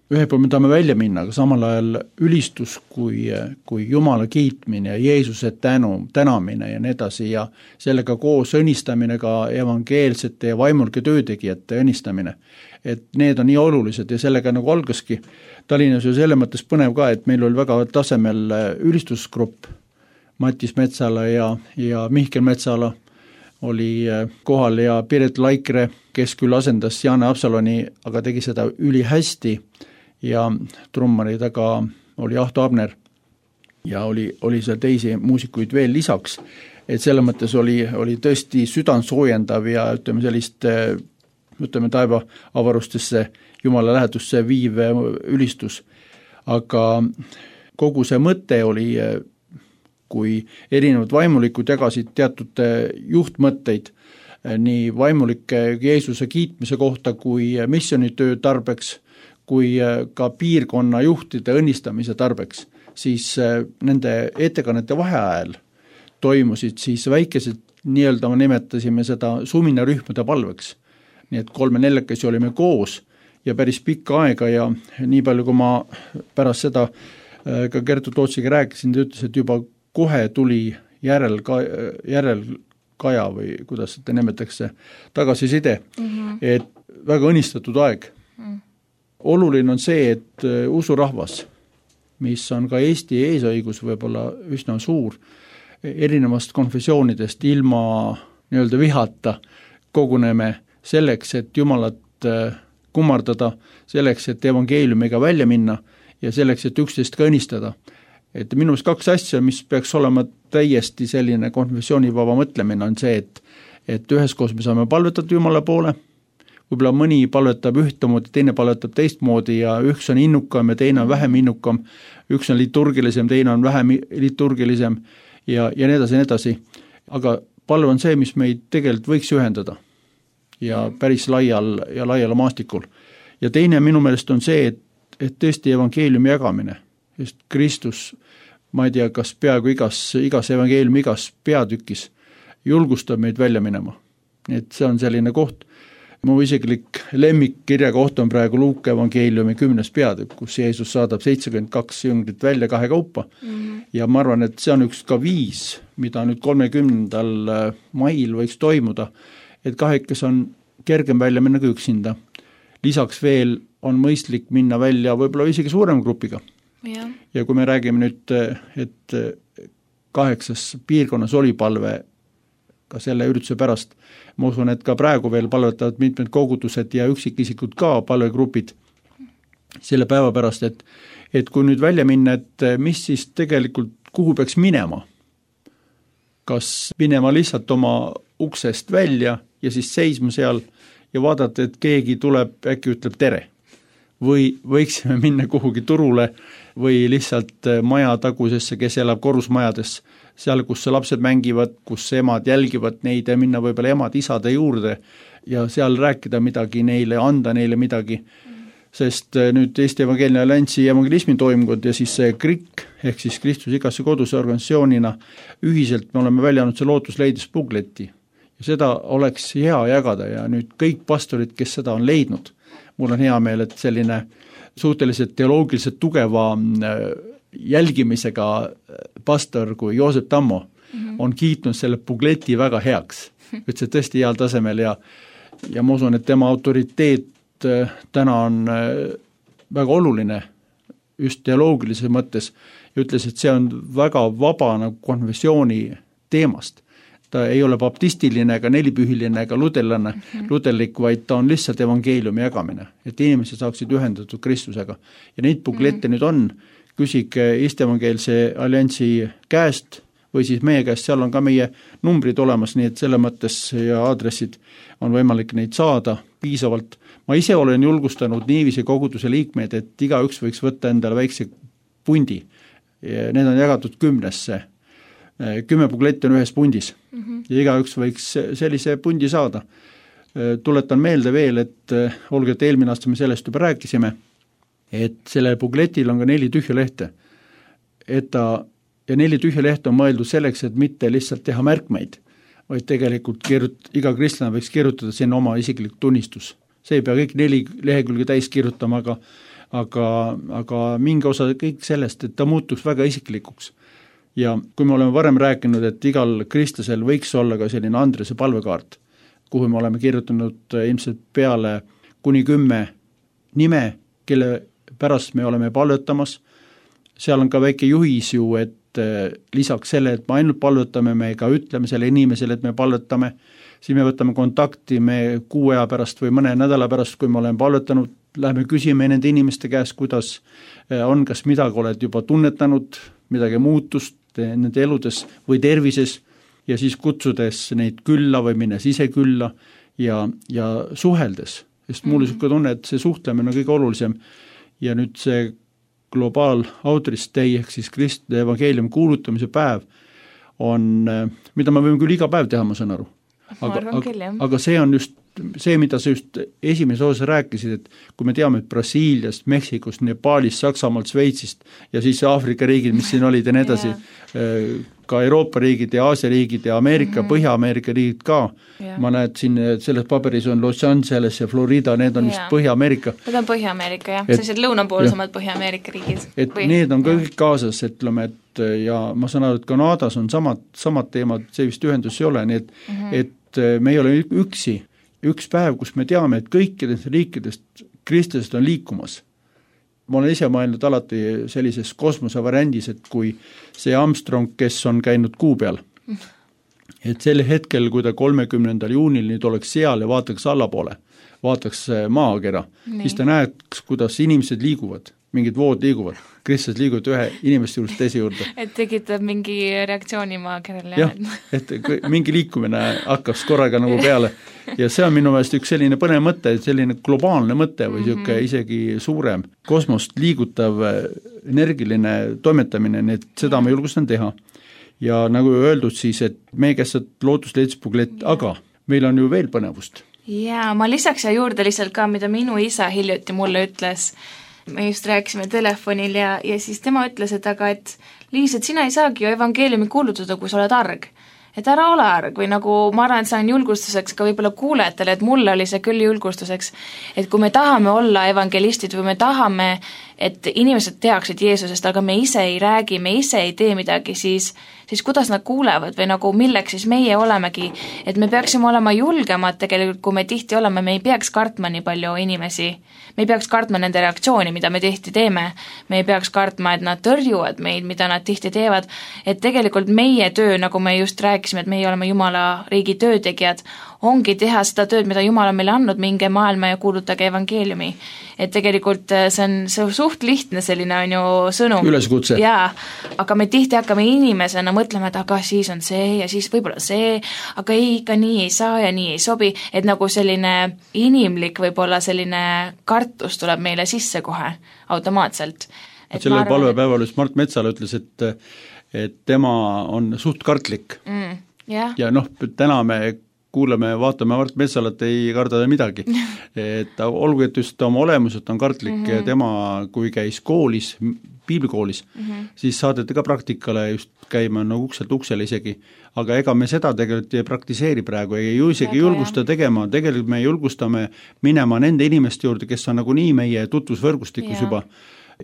Ühel pool me tahame välja minna, aga samal ajal ülistus kui, kui Jumala kiitmine ja Jeesuse tänu, tänamine ja nii edasi ja sellega koos õnnistamine ka evangeelsete ja vaimulike töötegijate õnnistamine. Et need on nii olulised ja sellega nagu algaski. Tallinnas ju selle mõttes põnev ka, et meil oli väga tasemel ülistusgrupp, Mattis Metsala ja, ja Mihkel Metsala oli kohal ja Piret Laikre, kes küll asendas Jaane Absaloni, aga tegi seda ülihästi ja trummari taga oli Ahto Abner ja oli, oli seal teisi muusikuid veel lisaks, et selle mõttes oli, oli tõesti südansoojendav ja ütleme sellist, ütleme taeva avarustesse, Jumala lähedusse viiv ülistus. Aga kogu see mõte oli, kui erinevad vaimulikud jagasid teatud juhtmõtteid nii vaimulike Jeesuse kiitmise kohta kui missionitöö tarbeks, kui ka piirkonna juhtide õnnistamise tarbeks, siis nende ettekannete vaheajal toimusid siis väikesed, nii-öelda me nimetasime seda suminarühmade palveks. Nii et kolme neljakesi olime koos ja päris pikka aega ja nii palju, kui ma pärast seda ka Kertu Tootsiga rääkisin, ta ütles, et juba kohe tuli järel, järel kaja või kuidas te nimetakse, tagasiside, mm-hmm. et väga õnnistatud aeg. Mm. Oluline on see, et usurahvas, mis on ka Eesti eesõigus võib-olla üsna suur, erinevast konfessioonidest ilma nii-öelda vihata koguneme selleks, et Jumalat kummardada, selleks, et evangeeliumiga välja minna ja selleks, et üksteist ka õnnistada. Et minust kaks asja, mis peaks olema täiesti selline konfessioonivaba mõtlemine, on see, et, et üheskoos me saame palvetada Jumala poole, võib-olla mõni palvetab ühtemoodi, teine palvetab teistmoodi ja üks on innukam ja teine on vähem innukam, üks on liturgilisem, teine on vähem liturgilisem ja, ja nii edasi, nii edasi. Aga palve on see, mis meid tegelikult võiks ühendada ja päris laial ja laial maastikul. Ja teine minu meelest on see, et, et tõesti evangeeliumi jagamine, just Kristus, ma ei tea, kas peaaegu igas, igas evangeeliumi igas peatükis julgustab meid välja minema. Nii et see on selline koht. Mu isiklik lemmikkirja koht on praegu Luuka evangeeliumi kümnes peatükk, kus Jeesus saadab seitsekümmend kaks jüngrit välja kahe kaupa. Mm-hmm. Ja ma arvan, et see on üks ka viis, mida nüüd kolmekümnendal mail võiks toimuda, et kahekes on kergem välja minna kui üksinda. Lisaks veel on mõistlik minna välja võib-olla isegi suurema grupiga. Ja. ja kui me räägime nüüd, et kaheksas piirkonnas oli palve ka selle ürituse pärast, ma usun, et ka praegu veel palvetavad mitmed kogudused ja üksikisikud ka palvegrupid selle päeva pärast, et, et kui nüüd välja minna, et mis siis tegelikult, kuhu peaks minema, kas minema lihtsalt oma uksest välja ja siis seisma seal ja vaadata, et keegi tuleb, äkki ütleb tere. Või võiksime minna kuhugi turule või lihtsalt maja tagusesse, kes elab korrusmajades, seal, kus lapsed mängivad, kus emad jälgivad neid ja minna võib-olla emad isade juurde ja seal rääkida midagi neile, anda neile midagi. Sest nüüd Eesti Evangeelne Alliansi evangelismi toimkond ja siis see K R I K ehk siis Kristus igasse koduse organisatsioonina ühiselt me oleme välja andnud see lootusleidis bukleti ja seda oleks hea jagada ja nüüd kõik pastorid, kes seda on leidnud, mul on hea meel, et selline suhteliselt teoloogiliselt tugeva jälgimisega pastor kui Joosep Tammo mm-hmm. on kiitnud selle bukleti väga heaks. Ütles, et tõesti heal tasemel ja, ja ma usun, et tema autoriteet täna on väga oluline just teoloogilise mõttes ja ütles, et see on väga vaba nagu konfessiooni teemast. Ta ei ole baptistiline ega nelipühiline ega luterlane, mm-hmm. luterlik, vaid ta on lihtsalt evangeeliumi jagamine, et inimesed saaksid ühendatud Kristusega. Ja neid buklette mm-hmm. nüüd on, küsige Eesti Evangeelse Alliansi käest või siis meie käest, seal on ka meie numbrid olemas, nii et selle mõttes ja aadressid on võimalik neid saada piisavalt. Ma ise olen julgustanud niiviisi koguduse liikmeid, et igaüks võiks võtta endale väikse pundi. Need on jagatud kümnesse. Kümme pukletti on ühes pundis mm-hmm. ja igaüks võiks sellise pundi saada. Tuletan meelde veel, et olge, et eelmine aasta me sellest juba rääkisime, et sellel pukletil on ka neli tühja lehte. Et ta, ja neli tühja lehte on mõeldud selleks, et mitte lihtsalt teha märkmeid, vaid tegelikult kirjut, iga kristlane võiks kirjutada sinna oma isiklik tunnistus. See ei pea kõik neli lehekülge täis kirjutama, aga, aga, aga mingi osa kõik sellest, et ta muutuks väga isiklikuks. Ja kui me oleme varem rääkinud, et igal kristlasel võiks olla ka selline Andrese palvekaart, kuhu me oleme kirjutanud ilmselt peale kuni kümme nime, kelle pärast me oleme palvetamas. Seal on ka väike juhis ju, et lisaks selle, et me ainult palvetame, me ka ütleme selle inimesele, et me palvetame, siis me võtame kontakti, me kuu aja pärast või mõne nädala pärast, kui me oleme palvetanud, läheme küsime nende inimeste käest, kuidas on, kas midagi oled juba tunnetanud, midagi muutust nende eludes või tervises ja siis kutsudes neid külla või minnes ise külla ja, ja suheldes. Sest mulle mm-hmm. niisugune tunne, et see suhtlemine on kõige olulisem ja nüüd see Global Outreach Day ehk siis Kristide evangeeliumi kuulutamise päev on, mida me võime küll iga päev teha, ma saan aru. Aga, aga, aga see on just see, mida sa just esimese osas rääkisid, et kui me teame, et Brasiiliast, Meksikust, Nepaalist, Saksamaalt, Sveitsist ja siis Aafrika riigid, mis siin olid ja nii edasi, yeah. ka Euroopa riigid ja Aasia riigid ja Ameerika, mm-hmm. Põhja-Ameerika riigid ka. Yeah. Ma näed siin, selles paberis on Los Angeles ja Florida, need on yeah. vist Põhja-Ameerika. Need on Põhja-Ameerika, jah. Sellised lõunapoolsemad Põhja-Ameerika riigid. Et Või... need on kõik kaasas, ütleme, et ja ma saan aru, et Kanadas on samad, samad teemad, see vist ühendus ei ole, nii et, mm-hmm. et me ei ole üksi. Üks päev, kus me teame, et kõikidest riikidest kristlased on liikumas. Ma olen ise mõelnud alati sellises kosmosevariandis, et kui see Armstrong, kes on käinud kuu peal, et sel hetkel, kui ta kolmekümnendal juunil nüüd oleks seal ja vaataks allapoole, vaataks maakera, nii. Siis ta näeks, kuidas inimesed liiguvad, mingid vood liiguvad, kristlased liiguvad ühe inimeste juurde teise juurde. Et tekitab mingi reaktsiooni maakerale. Jah, et mingi liikumine hakkas korraga nagu peale ja see on minu meelest üks selline põnev mõte, selline globaalne mõte või mm-hmm. selline isegi suurem kosmost liigutav energiline toimetamine, nii et seda ma julgustan teha. Ja nagu öeldud siis, et meie käsad lootusleedspuglet, aga meil on ju veel põnevust. Jaa, ma lisaks ja juurde lihtsalt ka, mida minu isa hiljuti mulle ütles. Me just rääkisime telefonil ja, ja siis tema ütles, et aga et Liis, et sina ei saagi ju evangeeliumi kuulutada, kui sa oled arg. Et ära ole arg või nagu ma arvan, et see on julgustuseks ka võib-olla kuulajatele, et mulle oli see küll julgustuseks, et kui me tahame olla evangelistid või me tahame, et inimesed teaksid Jeesusest, aga me ise ei räägi, me ise ei tee midagi, siis, siis kuidas nad kuulevad või nagu milleks siis meie olemegi, et me peaksime olema julgemad tegelikult, kui me tihti oleme, me ei peaks kartma nii palju inimesi, me ei peaks kartma nende reaktsiooni, mida me tihti teeme, me ei peaks kartma, et nad tõrjuvad meid, mida nad tihti teevad, et tegelikult meie töö, nagu me just rääkisime, et meie oleme Jumala riigi töötegijad, ongi teha seda tööd, mida Jumal on meile andnud, minge maailma ja kuulutage evangeeliumi. Et tegelikult see on see suht lihtne selline on ju sõnum. Üleskutse. Jaa, aga me tihti hakkame inimesena mõtlema, et aga siis on see ja siis võib-olla see, aga ei, ikka nii ei saa ja nii ei sobi, et nagu selline inimlik võib-olla selline kartus tuleb meile sisse kohe automaatselt. Et sellel arvan, palvepäeval just Mart Metsala ütles, et, et tema on suht kartlik. Mm, yeah. Ja noh, täna me kuuleme, vaatame Mart Metsalat, ei karda midagi. Et olgu, et just oma olemuselt on kartlik mm-hmm. ja tema, kui käis koolis, piiblikoolis, mm-hmm. siis saadeti ka praktikale just käima nagu ukselt uksele isegi, aga ega me seda tegelikult ei praktiseeri praegu, ei ju isegi Väga julgusta jah. tegema, tegelikult me julgustame minema nende inimeste juurde, kes on nagu nii meie tutvusvõrgustikus ja. juba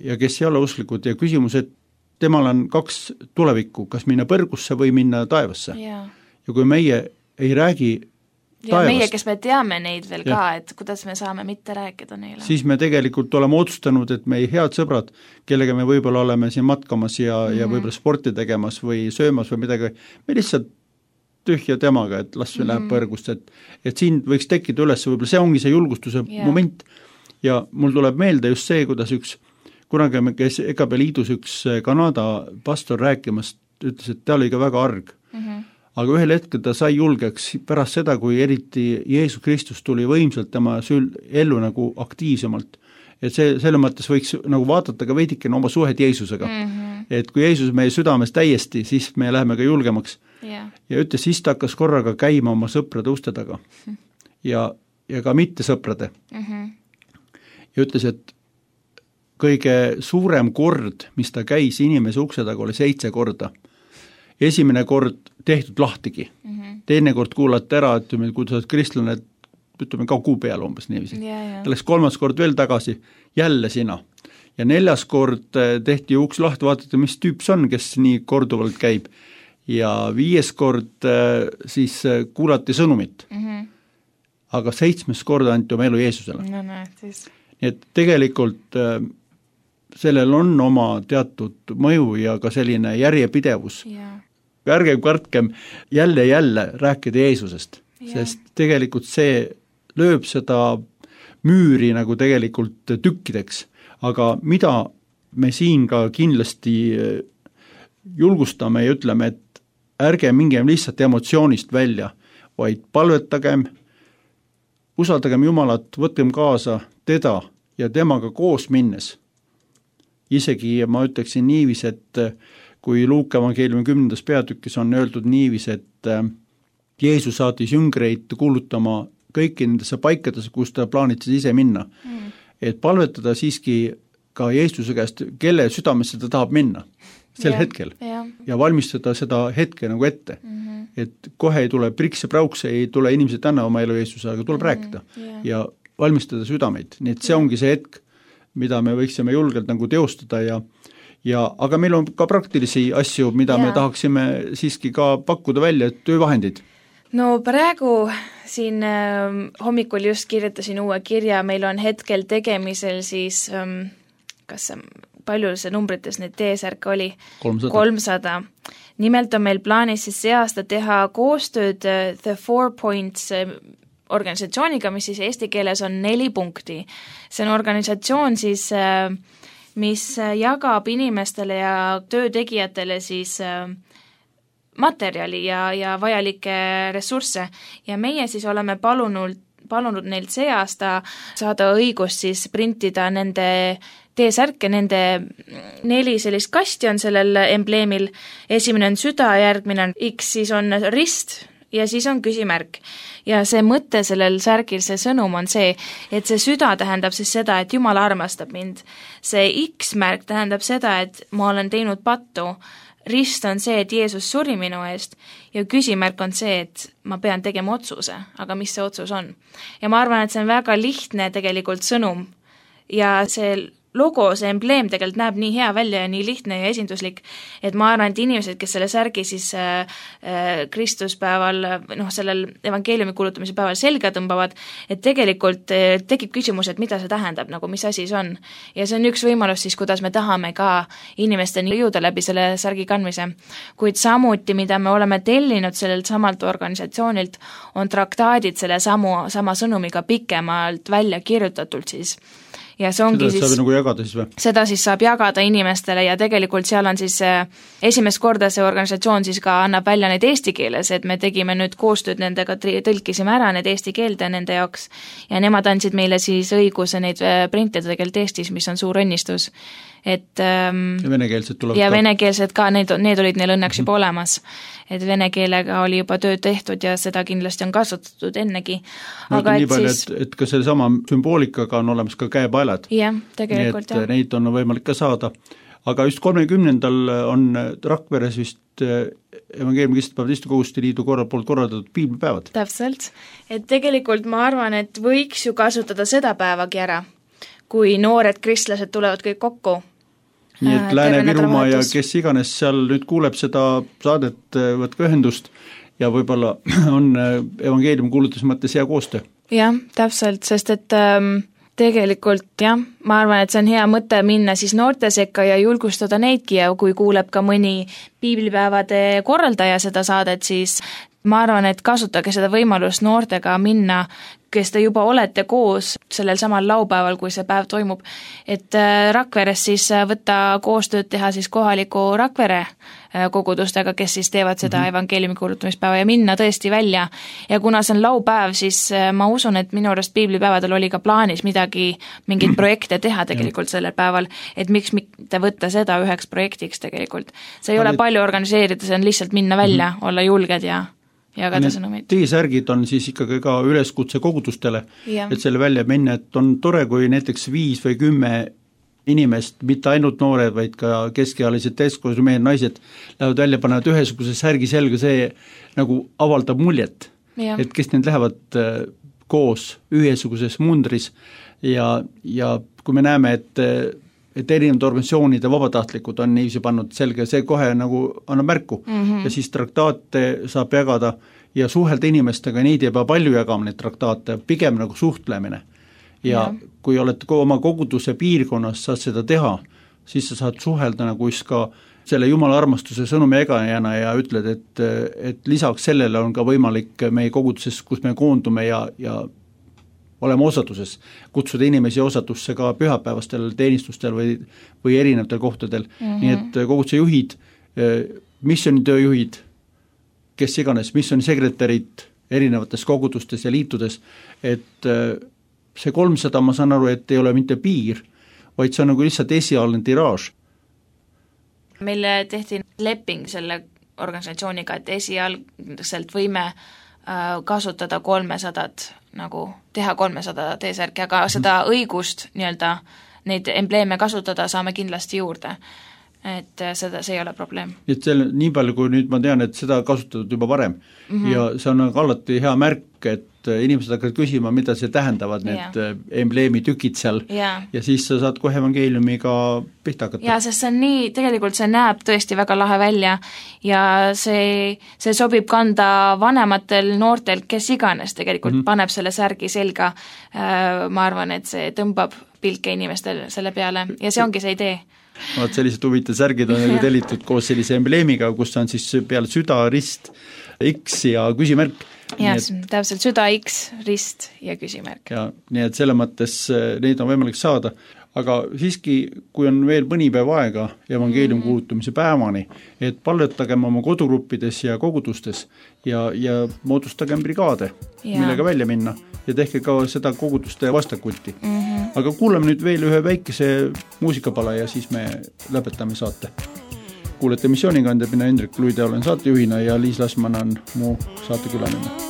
ja kes ei ole usklikud ja küsimus, et temal on kaks tulevikku, kas minna põrgusse või minna taevasse ja, ja kui meie ei räägi ja taevast. Meie, kes me teame neid veel ja. ka, et kuidas me saame mitte rääkida neile. Siis me tegelikult oleme otsustanud, et meie head sõbrad, kellega me võib-olla oleme siin matkamas ja, mm-hmm. ja võib-olla sporti tegemas või söömas või midagi, me lihtsalt tühja temaga, et las mm-hmm. läheb põrgust, et, et siin võiks tekkida üles, võib-olla see ongi see julgustuse yeah. moment ja mul tuleb meelde just see, kuidas üks, kunagi me käis E K B liidus üks Kanada pastor rääkimas, ütles, et ta oli ka väga arg. Mm-hmm. Aga ühel hetkel ta sai julgeks pärast seda, kui eriti Jeesus Kristus tuli võimsalt tema sül- ellu nagu aktiivsemalt, et see, selle mõttes võiks nagu vaadata ka veidikene oma suhet Jeesusega mm. -hmm. et kui Jeesus meie südames täiesti, siis me läheme ka julgemaks yeah. ja ütles, siis ta hakkas korraga käima oma sõprade uste taga mm. ja, ja ka mitte sõprade mm. -hmm. ja ütles, et kõige suurem kord, mis ta käis inimese ukse taga, oli seitse korda. Esimene kord tehtud lahtigi mm, -hmm. teine kord kuulati ära, et kui sa oled kristlane, et ütleme ka kuu peale umbes niiviisi. Ta läks kolmas kord veel tagasi, jälle sina. Ja neljas kord tehti uks lahti, vaadati, mis tüüp see on, kes nii korduvalt käib. Ja viies kord siis kuulati sõnumit. Mm -hmm. Aga seitsmes kord anti oma elu Jeesusele. No, no, siis. Nii et tegelikult sellel on oma teatud mõju ja ka selline järjepidevus. Yeah. Ärge kartkem jälle jälle rääkida Jeesusest, yeah. sest tegelikult see lööb seda müüri nagu tegelikult tükkideks, aga mida me siin ka kindlasti julgustame ja ütleme, et ärge mingem lihtsalt emotsioonist välja, vaid palvetagem, usaldagem Jumalat, võtkem kaasa teda ja temaga koos minnes. Isegi ma ütleksin niivis, et kui Luuka evangeeliumi kümnendas peatükis on öeldud niivis, et Jeesus saatis jüngreid kuulutama kõiki nendesse paikadesse, kus ta plaanitses ise minna. Mm. Et palvetada siiski ka Jeesuse käest, kelle südamesse ta tahab minna sel yeah, hetkel yeah. ja valmistada seda hetke nagu ette. Mm-hmm. Et kohe ei tule priks ja prauks, ei tule inimesed tänna oma elu Jeesuse, aga tuleb mm-hmm. rääkida yeah. ja valmistada südameid. Nii et see ongi see hetk, mida me võiksime julgelt nagu teostada ja Ja, aga meil on ka praktilisi asju, mida ja. me tahaksime siiski ka pakkuda välja, töövahendid. No praegu siin äh, hommikul just kirjutasin uue kirja, meil on hetkel tegemisel siis, ähm, kas see, palju see numbrites neid T-särke oli? kolmsada. Nimelt on meil plaanis siis see aasta teha koostööd äh, The Four Points äh, organisatsiooniga, mis siis eesti keeles on neli punkti. See on organisatsioon siis äh, mis jagab inimestele ja töötegijatele siis materjali ja, ja vajalikke ressursse ja meie siis oleme palunud, palunud neilt see aasta saada õigust siis printida nende T-särke, nende neli sellist kasti on sellel embleemil, esimene on süda, järgmine on X, siis on rist ja siis on küsimärk. Ja see mõte sellel särgil, see sõnum on see, et see süda tähendab siis seda, et Jumal armastab mind. See X-märk tähendab seda, et ma olen teinud pattu. Rist on see, et Jeesus suri minu eest ja küsimärk on see, et ma pean tegema otsuse, aga mis see otsus on. Ja ma arvan, et see on väga lihtne tegelikult sõnum ja see logo, see embleem tegelikult näeb nii hea välja ja nii lihtne ja esinduslik, et ma arvan, et inimesed, kes selle särgi siis äh, äh, Kristuspäeval, noh, sellel evangeeliumi kuulutamise päeval selga tõmbavad, et tegelikult äh, tekib küsimus, et mida see tähendab, nagu mis asi see on. Ja see on üks võimalus siis, kuidas me tahame ka inimesteni jõuda läbi selle särgi kandmise. Kuid samuti, mida me oleme tellinud sellelt samalt organisatsioonilt, on traktaadid selle samu, sama sõnumiga pikemalt välja kirjutatult siis. Ja see ongi seda siis, saab nagu jagada siis või? Seda siis saab jagada inimestele ja tegelikult seal on siis esimest korda see organisatsioon siis ka annab välja neid eesti keeles, et me tegime nüüd koostööd nendega, tõlkisime ära need eesti keelde nende jaoks ja nemad andsid meile siis õiguse neid printida tegelikult Eestis, mis on suur õnnistus. Et, ähm, ja venekeelsed tulevad ja ka. venekeelsed ka, need, need olid neil õnneks juba olemas. Et vene keelega oli juba töö tehtud ja seda kindlasti on kasutatud ennegi. Ma aga et et palju, siis... et, et ka selle sama sümboolikaga on olemas ka käepaelad. Jah, tegelikult nii et jah. Neid on võimalik ka saada. Aga just kolmekümnendal on Rakveres vist evangeeliumi kristlaste koguste liidu korra poolt korraldatud piiblipäevad. Täpselt. Et tegelikult ma arvan, et võiks ju kasutada seda päevagi ära, kui noored kristlased tulevad kõik kokku. Nii et Lääne-Virumaa ja kes iganes seal nüüd kuuleb seda saadet, võtke ühendust ja võib-olla on evangeeliumi kuulutus mõttes hea koostöö. Jah, täpselt, sest et ähm, tegelikult jah, ma arvan, et see on hea mõte minna siis noorte sekka ja julgustada neidki ja kui kuuleb ka mõni piiblipäevade korraldaja seda saadet, siis ma arvan, et kasutage seda võimalust noortega minna kes te juba olete koos sellel samal laupäeval, kui see päev toimub, et Rakveres siis võtta koostööd teha siis kohaliku Rakvere kogudustega, kes siis teevad seda mm-hmm. evangeeliumi kuulutamispäeva ja minna tõesti välja. Ja kuna see on laupäev, siis ma usun, et minu arust piiblipäevadel oli ka plaanis midagi, mingeid projekte teha tegelikult sellel päeval, et miks mitte võtta seda üheks projektiks tegelikult. See ei ole palju organiseerida, see on lihtsalt minna välja, mm-hmm. olla julged ja jagada sõnumeid. T-särgid on siis ikkagi ka üleskutse kogudustele, ja. Et selle välja minna, et on tore, kui näiteks viis või kümme inimest, mitte ainult noored, vaid ka keskealised täiskasvanud mehed, naised lähevad välja, panevad ühesuguse särgi selga, see nagu avaldab muljet, ja. Et kes need lähevad koos ühesuguses mundris ja, ja kui me näeme, et et erinevad organisatsioonid ja vabatahtlikud on niiviisi pannud selge, see kohe nagu annab märku mm-hmm. ja siis traktaate saab jagada ja suhelda inimestega, neid ei pea palju jagama, neid traktaate, pigem nagu suhtlemine. Ja, ja kui oled oma koguduse piirkonnas, saad seda teha, siis sa saad suhelda nagu just ka selle Jumala armastuse sõnumi egajana ja ütled, et, et lisaks sellele on ka võimalik meie koguduses, kus me koondume ja, ja oleme osaduses, kutsuda inimesi osatusse ka pühapäevastel teenistustel või, või erinevatel kohtadel. Mm-hmm. Nii et koguduse juhid, missionitööjuhid, kes iganes, missionisekretärid erinevates kogudustes ja liitudes, et see kolmsada, ma saan aru, et ei ole mitte piir, vaid see on nagu lihtsalt esialgne tiraaž. Meile tehti leping selle organisatsiooniga, et esialgselt võime kasutada kolmesadat, nagu teha kolmesada T-särki, aga seda õigust nii-öelda neid embleeme kasutada saame kindlasti juurde, et seda, see ei ole probleem. Et selle, nii palju kui nüüd ma tean, et seda kasutatud juba varem mm-hmm. ja see on alati hea märk, et inimesed hakkavad küsima, mida see tähendavad, need yeah. embleemi tükid seal yeah. ja siis sa saad kohe evangeeliumiga pihta hakata. Ja sest see on nii, tegelikult see näeb tõesti väga lahe välja ja see, see sobib kanda vanematel noortel, kes iganes tegelikult mm-hmm. paneb selle särgi selga. Ma arvan, et see tõmbab pilke inimestel selle peale ja see ongi see idee. Vaat sellised huvitav särgid on tellitud koos sellise embleemiga, kus on siis peale süda, rist, X ja küsimärk. Ja, et, täpselt süda, X, rist ja küsimärk. Ja, nii et selle mõttes neid on võimalik saada, aga siiski, kui on veel mõni päev aega evangeelium mm-hmm. kuulutamise päevani, et palvetagem oma kodugruppides ja kogudustes ja, ja moodustagem brigaade, ja. Millega välja minna ja tehke ka seda koguduste vastakulti. Mm-hmm. Aga kuulame nüüd veel ühe väikese muusikapala ja siis me lõpetame saate. Kuulete missioonikandja, mina Hendrik Luide olen saatejuhina ja Liis Lasman on mu saatekülaline.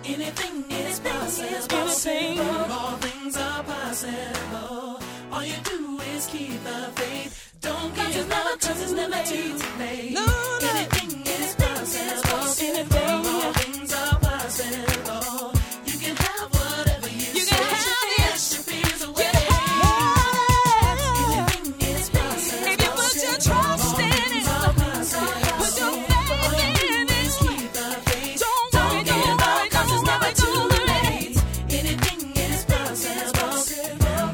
Anything is possible. All things are possible. All you do is keep the faith. Don't give up, 'cause it's never too late. No, no. Anything is possible. Anything. All things are possible. You can have whatever you, you say. Can have it. Yes, your fears away. You can have it. Anything is possible. If you put your trust in it, put your faith in it. Keep the faith. Don't, don't give up, 'cause it's never too late. Anything is possible.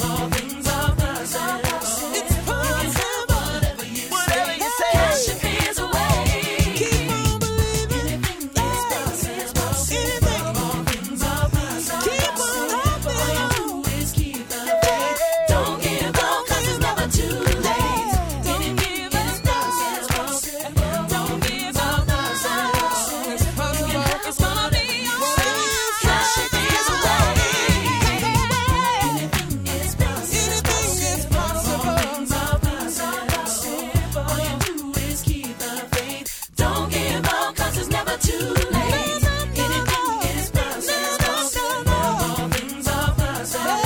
All things are possible. It's possible. Whatever you whatever say, you say. Cash your fears away. Keep on believing. Anything is possible. Anything. All things are possible. Keep on hoping. All you do is keep the faith. Don't give up, 'cause it's never too late. Anything is possible. Don't give up, 'cause it's possible. It's gonna be alright. Cash your fears away. Anything is possible. Anything is possible. All things are possible. All you do is keep the faith. Don't give up, 'cause it's never too late. Anything is possible. All things are possible.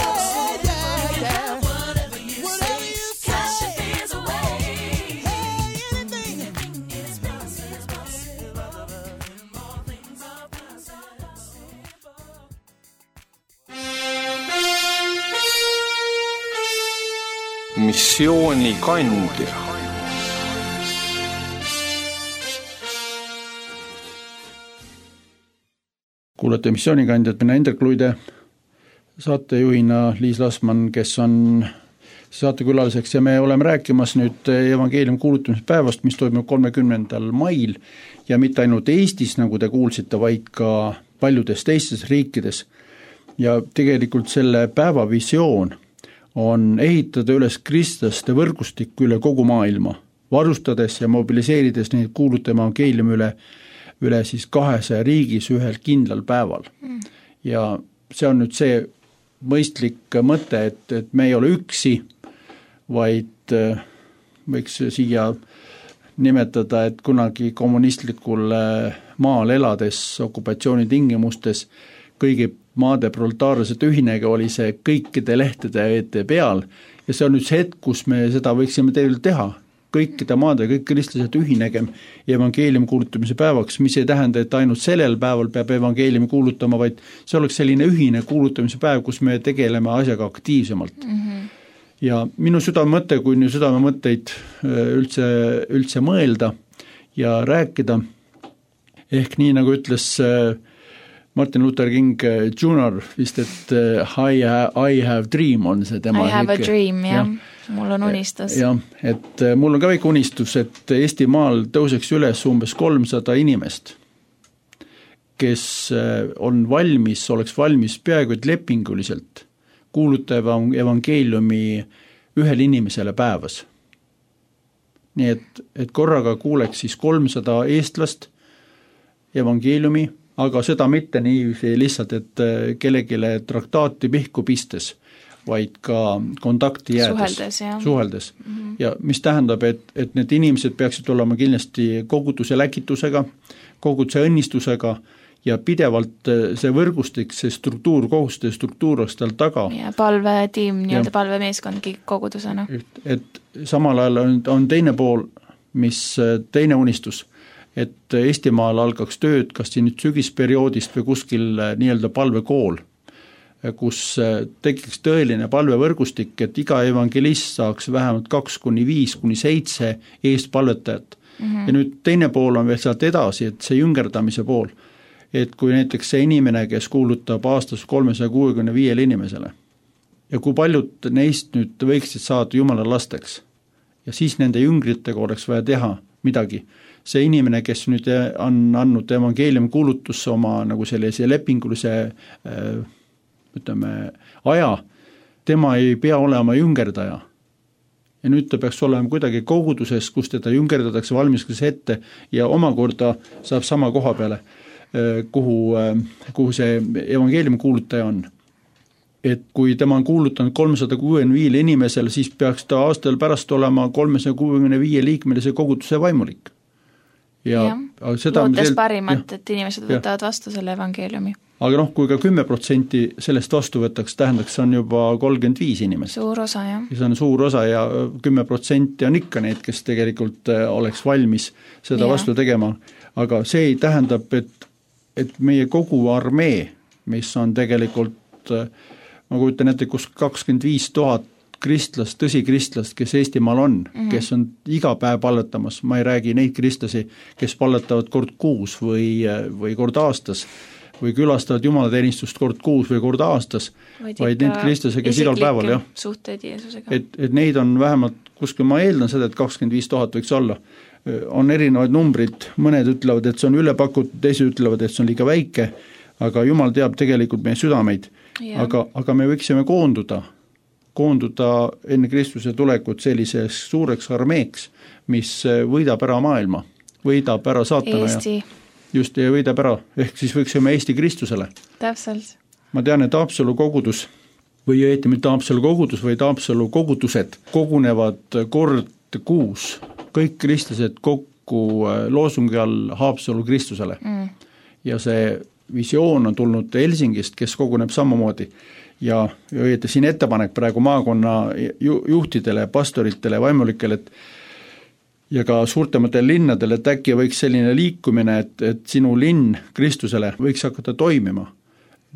Whatever you say, cash your fears away. Anything is possible. All things are possible. Missioonikandja. kuulate missioonikandjat, mina Indrek Luide, saatejuhina Liis Lasman, kes on saatekülaliseks ja me oleme rääkimas nüüd evangeeliumi kuulutamise päevast, mis toimub kolmekümnendal mail ja mitte ainult Eestis, nagu te kuulsite, vaid ka paljudes teistes riikides. Ja tegelikult selle päeva visioon on ehitada üles kristlaste võrgustikku üle kogu maailma, varustades ja mobiliseerides neid kuulutama evangeeliumi üle, üle siis kahesaja riigis ühel kindlal päeval. Mm. Ja see on nüüd see mõistlik mõte, et, et me ei ole üksi, vaid võiks siia nimetada, et kunagi kommunistlikul maal elades okupatsiooni tingimustes kõigi maade proletaarlased ühinega oli see kõikide lehtede ette peal ja see on nüüd see hetk, kus me seda võiksime teile teha. Kõikide maade, kõik kristlased ühinegem evangeeliumi kuulutamise päevaks, mis ei tähenda, et ainult sellel päeval peab evangeeliumi kuulutama, vaid see oleks selline ühine kuulutamise päev, kus me tegeleme asjaga aktiivsemalt. Mm-hmm. Ja minu südamemõte, kui nüüd südamemõtteid üldse, üldse mõelda ja rääkida, ehk nii nagu ütles Martin Luther King junior vist, et I have, I have dream on see tema. I have a dream, jah. Ja. Mul on unistus. Jah, et mul on ka väike unistus, et Eesti maal tõuseks üles umbes kolmsada inimest, kes on valmis, oleks valmis peaaegu et lepinguliselt kuulutada evangeeliumi ühele inimesele päevas. Nii et, et korraga kuuleks siis kolmsada eestlast evangeeliumi, aga seda mitte nii lihtsalt, et kellegile traktaati pihku pistes, vaid ka kontakti jäädes. Suheldes, jah. Suheldes. Mm-hmm. Ja mis tähendab, et, et need inimesed peaksid olema kindlasti koguduse läkitusega, koguduse õnnistusega ja pidevalt see võrgustik, see struktuur, kohuste struktuur oleks tal taga. Ja palvetiim, nii-öelda palvemeeskondki kogudusena. Et, et samal ajal on, on teine pool, mis teine unistus, et Eestimaal algaks tööd, kas siin nüüd sügisperioodist või kuskil nii-öelda palvekool, kus tekiks tõeline palvevõrgustik, et iga evangelist saaks vähemalt kaks kuni viis kuni seitse eestpalvetajat. Mm-hmm. Ja nüüd teine pool on veel sealt edasi, et see jüngerdamise pool, et kui näiteks see inimene, kes kuulutab aastas kolmesaja kuuekümne viiele inimesele ja kui paljud neist nüüd võiksid saada Jumala lasteks ja siis nende jüngritega oleks vaja teha midagi. See inimene, kes nüüd on andnud evangeeliumi kuulutusse oma nagu sellise lepingulise ütleme, aja, tema ei pea olema jüngerdaja. Ja nüüd ta peaks olema kuidagi koguduses, kus teda jüngerdatakse, valmistatakse ette ja omakorda saab sama koha peale, kuhu, kuhu see evangeeliumi kuulutaja on. Et kui tema on kuulutanud kolmsada kuuekümne viiele inimesele, siis peaks ta aastal pärast olema kolmesaja kuuekümne viie liikmelise koguduse vaimulik. ja, ja. lootes parimat, et inimesed võtavad vastu selle evangeeliumi. Aga noh, kui ka kümme protsenti sellest vastu võtaks, tähendaks, see on juba kolmkümmend viis inimest. Suur osa, jah. Ja see on suur osa ja kümme protsenti on ikka need, kes tegelikult oleks valmis seda ja. vastu tegema. Aga see tähendab, et, et meie kogu armee, mis on tegelikult, ma kujutan ette, kus kakskümmend viis tuhat kristlast, tõsi kristlast, kes Eestimaal on, mm-hmm. kes on iga päev palletamas, ma ei räägi neid kristlasi, kes palletavad kord kuus või, või kord aastas, või külastavad jumalateenistust kord kuus või kord aastas, vaid, vaid need kristlase, kes igal päeval, jah. Suhteid Jeesusega. Et, et neid on vähemalt, kuskil ma eeldan seda, et kakskümmend viis tuhat võiks olla. On erinevaid numbrid, mõned ütlevad, et see on ülepakutud, teised ütlevad, et see on liiga väike, aga Jumal teab tegelikult meie südameid. Aga, aga me võiksime koonduda, koonduda enne Kristuse tulekut selliseks suureks armeeks, mis võidab ära maailma, võidab ära saatana Eesti. ja just ja võidab ära, ehk siis võiksime Eesti Kristusele. Täpselt. Ma tean, et Haapsalu kogudus või õieti mitte Haapsalu kogudus, vaid Haapsalu kogudused kogunevad kord kuus, kõik kristlased kokku loosungi all Haapsalu Kristusele. Mm. Ja see visioon on tulnud Helsingist, kes koguneb samamoodi. Ja õieti siin ettepanek praegu maakonna juhtidele, pastoritele, vaimulikele, et ja ka suurtematele linnadele, et äkki võiks selline liikumine, et, et sinu linn Kristusele võiks hakata toimima.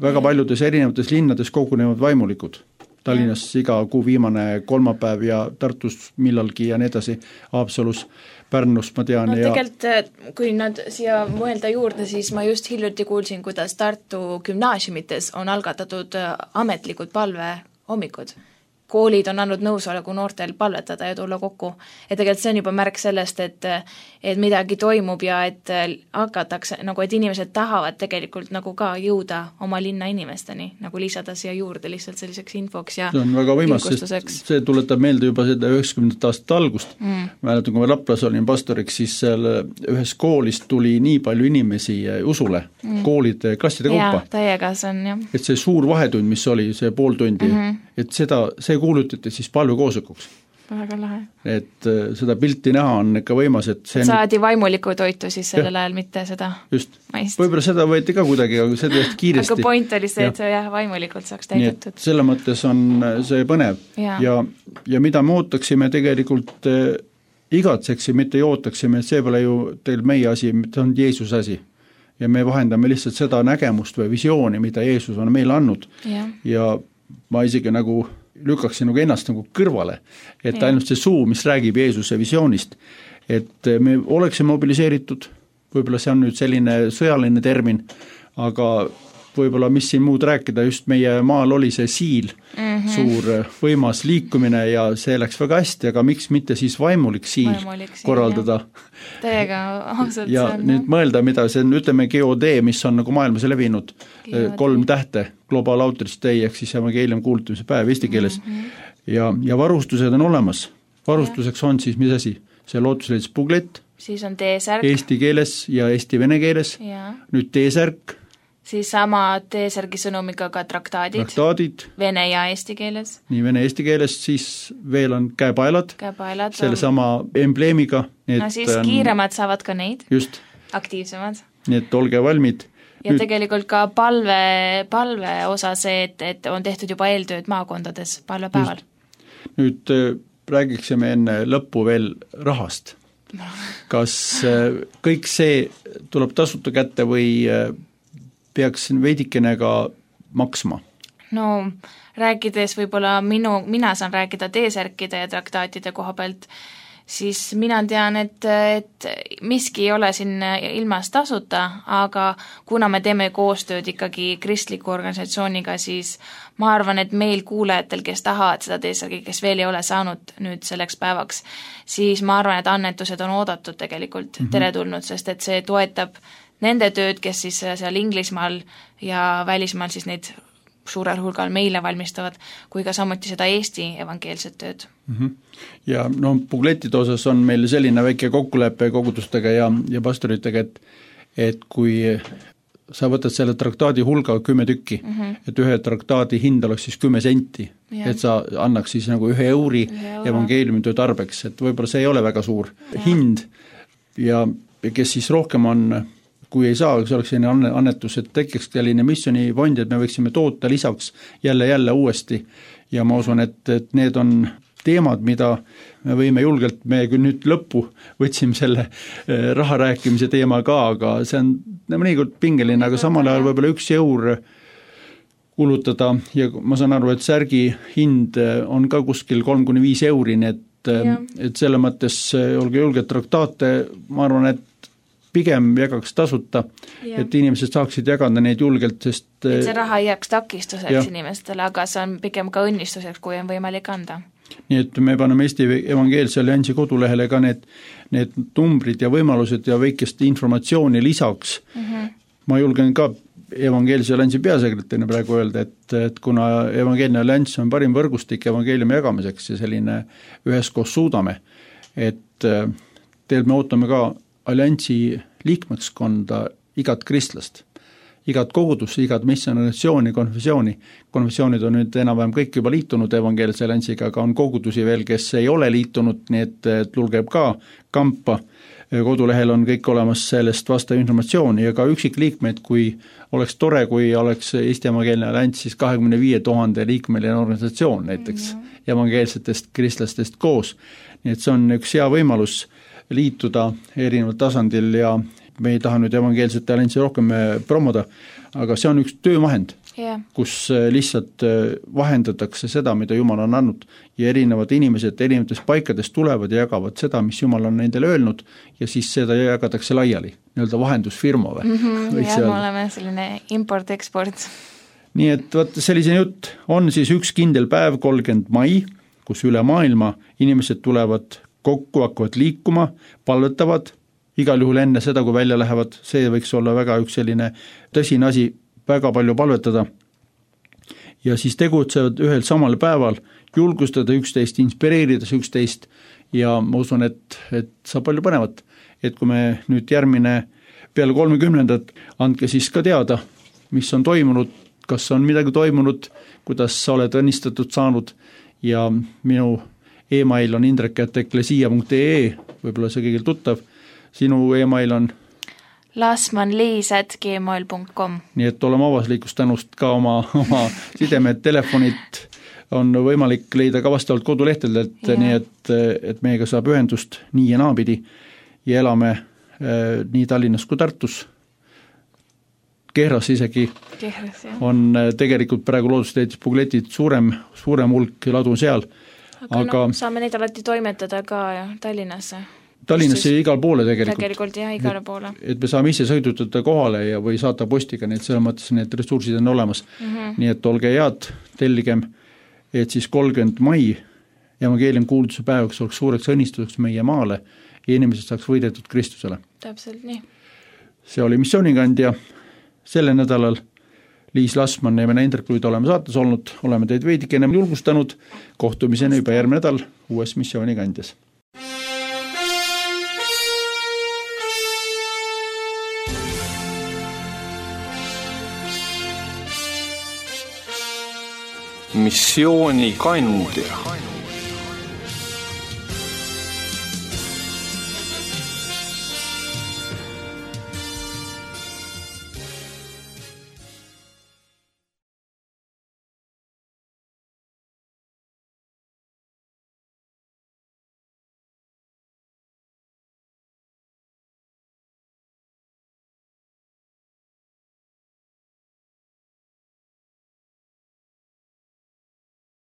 Väga paljudes erinevates linnades kogunevad vaimulikud. Tallinnas iga kuu viimane kolmapäev ja Tartus millalgi ja nii edasi, Haapsalus, Pärnus ma tean. No ja tegelikult, kui nad siia mõelda juurde, siis ma just hiljuti kuulsin, kuidas Tartu gümnaasiumites on algatatud ametlikud palve hommikud. Koolid on andnud nõusoleku noortel palvetada ja tulla kokku. Ja tegelikult see on juba märk sellest, et, et midagi toimub ja et hakatakse, nagu et inimesed tahavad tegelikult nagu ka jõuda oma linna inimesteni, nagu lisada siia juurde lihtsalt selliseks infoks ja see on väga võimas, sest see tuletab meelde juba seda üheksakümnendate aastat algust. Mm. Mäletan, kui ma Raplas olin pastoriks, siis seal ühes koolist tuli nii palju inimesi usule, mm. koolide, klasside kaupa. Ja, täiega see on, jah. Et see suur vahetund, mis oli, see pool tundi, mm-hmm. et seda, see kuulutati siis palvekoosolekuks. Väga lahe. Et seda pilti näha on ikka võimas, et see saadi vaimuliku toitu siis sellel ajal, mitte seda just. maist. Võib-olla seda võeti ka kuidagi, aga seda just kiiresti. Aga point oli see, et jah, vaimulikult saaks täidetud. Selle mõttes on see põnev. Ja, ja, ja mida me ootaksime tegelikult igatseksime, mitte ootaksime, et see pole ju teil meie asi, see on Jeesuse asi. Ja me vahendame lihtsalt seda nägemust või visiooni, mida Jeesus on meile andnud. Ja, ja ma isegi nagu lükkaksin nagu ennast nagu kõrvale, et ja. ainult see suu, mis räägib Jeesuse visioonist, et me oleksime mobiliseeritud, võib-olla see on nüüd selline sõjaline termin, aga võib-olla mis siin muud rääkida, just meie maal oli see siil, mm-hmm. suur võimas liikumine ja see läks väga hästi, aga miks mitte siis vaimulik siil vaimulik siil, korraldada. Täiega ausalt ja see on. nüüd mõelda, mida see on, ütleme G O D, mis on nagu maailmas levinud, G O D. Kolm tähte, Global Outreach Day, ehk siis evangeelium kuulutamise päev eesti keeles mm-hmm. ja, ja varustused on olemas. Varustuseks on siis mis asi? See lootusleidis puglett, siis on T-särk eesti keeles ja eesti-vene keeles, ja. nüüd T-särk, siis sama T-särgi sõnumiga ka traktaadid, traktaadid, vene ja eesti keeles. Nii vene eesti keeles, siis veel on käepaelad, käepaelad selle on... sama embleemiga. No siis on... kiiremad saavad ka neid, just. aktiivsemad. Nii et olge valmid. Ja nüüd... tegelikult ka palve, palve osa see, et, et on tehtud juba eeltööd maakondades palvepäeval. Just. Nüüd räägiksime enne lõppu veel rahast. Kas kõik see tuleb tasuta kätte või peaks veidikene ka maksma? No rääkides võib-olla minu, mina saan rääkida T-särkide ja traktaatide koha pealt, siis mina tean, et, et miski ei ole siin ilmas tasuta, aga kuna me teeme koostööd ikkagi kristliku organisatsiooniga, siis ma arvan, et meil kuulajatel, kes tahavad seda T-särgi, kes veel ei ole saanud nüüd selleks päevaks, siis ma arvan, et annetused on oodatud tegelikult mm-hmm. teretulnud, sest et see toetab nende tööd, kes siis seal Inglismaal ja välismaal siis neid suurel hulgal meile valmistavad, kui ka samuti seda Eesti evangeelset tööd. Mm-hmm. Ja no puglettide osas on meil selline väike kokkulepe kogudustega ja, ja pastoritega, et, et kui sa võtad selle traktaadi hulga kümme tükki, mm-hmm. et ühe traktaadi hind oleks siis kümme senti, ja. et sa annaks siis nagu ühe euri evangeeliumi töö tarbeks, et võib-olla see ei ole väga suur ja. hind ja kes siis rohkem on, kui ei saa, see oleks selline annetus, et tekiks selline missioonifond, et me võiksime toota lisaks jälle-jälle uuesti ja ma usun, et, et need on teemad, mida me võime julgelt, me küll nüüd lõppu võtsime selle raha rääkimise teema ka, aga see on mõnikord pingeline, aga samal ajal võib-olla üks eur kulutada ja ma saan aru, et särgi hind on ka kuskil kolm kuni viis euri, nii et, et selle mõttes olge julged traktaate, ma arvan, et pigem jagaks tasuta, ja. et inimesed saaksid jagada neid julgelt, sest et see raha ei jääks takistuseks ja. inimestele, aga see on pigem ka õnnistuseks, kui on võimalik anda. Nii et me paneme Eesti Evangeelse Alliansi kodulehele ka need, need numbrid ja võimalused ja väikest informatsiooni lisaks. Mm-hmm. Ma julgen ka Evangeelse Alliansi peasekretärina praegu öelda, et, et kuna Evangeelne Allianss on parim võrgustik evangeeliumi jagamiseks ja selline üheskoos suudame, et teil me ootame ka alliansi liikmekskonda igat kristlast, igat kogudus, igat missionisatsiooni, konfessiooni. Konfessioonid on nüüd enam-vähem kõik juba liitunud evangeelse alliansiga, aga on kogudusi veel, kes ei ole liitunud, nii et tulgeb ka kampa. Kodulehel on kõik olemas sellest vastav informatsiooni ja ka üksikliikmeid, kui oleks tore, kui oleks Eesti Evangeelne Allianss siis kahekümne viie tuhande liikmeline organisatsioon näiteks mm-hmm. evangeelsetest kristlastest koos. Nii et see on üks hea võimalus liituda erineval tasandil ja me ei taha nüüd evangeelsete alliansi rohkem promoda, aga see on üks töövahend, yeah. kus lihtsalt vahendatakse seda, mida Jumal on andnud ja erinevad inimesed erinevatest paikadest tulevad ja jagavad seda, mis Jumal on nendele öelnud ja siis seda jagatakse laiali, nii-öelda vahendusfirma või? Mm-hmm, jah, me oleme selline import-export. Nii et võt, sellise jutt on siis üks kindel päev, kolmkümmend mai, kus üle maailma inimesed tulevad kokku, hakkavad liikuma, palvetavad, igal juhul enne seda, kui välja lähevad, see võiks olla väga üks selline tõsine asi, väga palju palvetada. Ja siis tegutsevad ühel samal päeval, julgustada üksteist, inspireerides üksteist ja ma usun, et, et saab palju põnevat. Et kui me nüüd järgmine peale kolmekümnendat, andke siis ka teada, mis on toimunud, kas on midagi toimunud, kuidas sa oled õnnistatud saanud ja minu e-mail on indrek at eklesia punkt ee, võib-olla see kõigil tuttav. Sinu e-mail on lasmanliis at gmail punkt com. Nii et oleme avaslikust tänust ka oma, oma sidemed, telefonid on võimalik leida ka vastavalt kodulehtedelt, nii et, et meiega saab ühendust nii ja naapidi ja elame äh, nii Tallinnas kui Tartus. Kehras isegi Kehras, on tegelikult praegu loodusteetis Pugletid suurem, suurem hulk ladu seal. Aga, aga no, saame neid alati toimetada ka ja Tallinnasse. Tallinnasse ja igal poole tegelikult. Tegelikult jah, igale poole. Et, et me saame ise sõidutada kohale ja või saata postiga, nii et selle mõttes need ressursid on olemas. Mm-hmm. Nii et olge head, telligem, et siis kolmkümmend mai evangeelium kuulutuse päevaks oleks suureks õnnistuseks meie maale ja inimesed saaks võidetud Kristusele. Täpselt nii. See oli missioonikandja selle nädalal. Liis Lasman ja mina Indrek Luid oleme saates olnud, oleme teid veidike ennem julgustanud, kohtumiseni juba järgmine nädal uues missioonikandjas. Missioonikandja.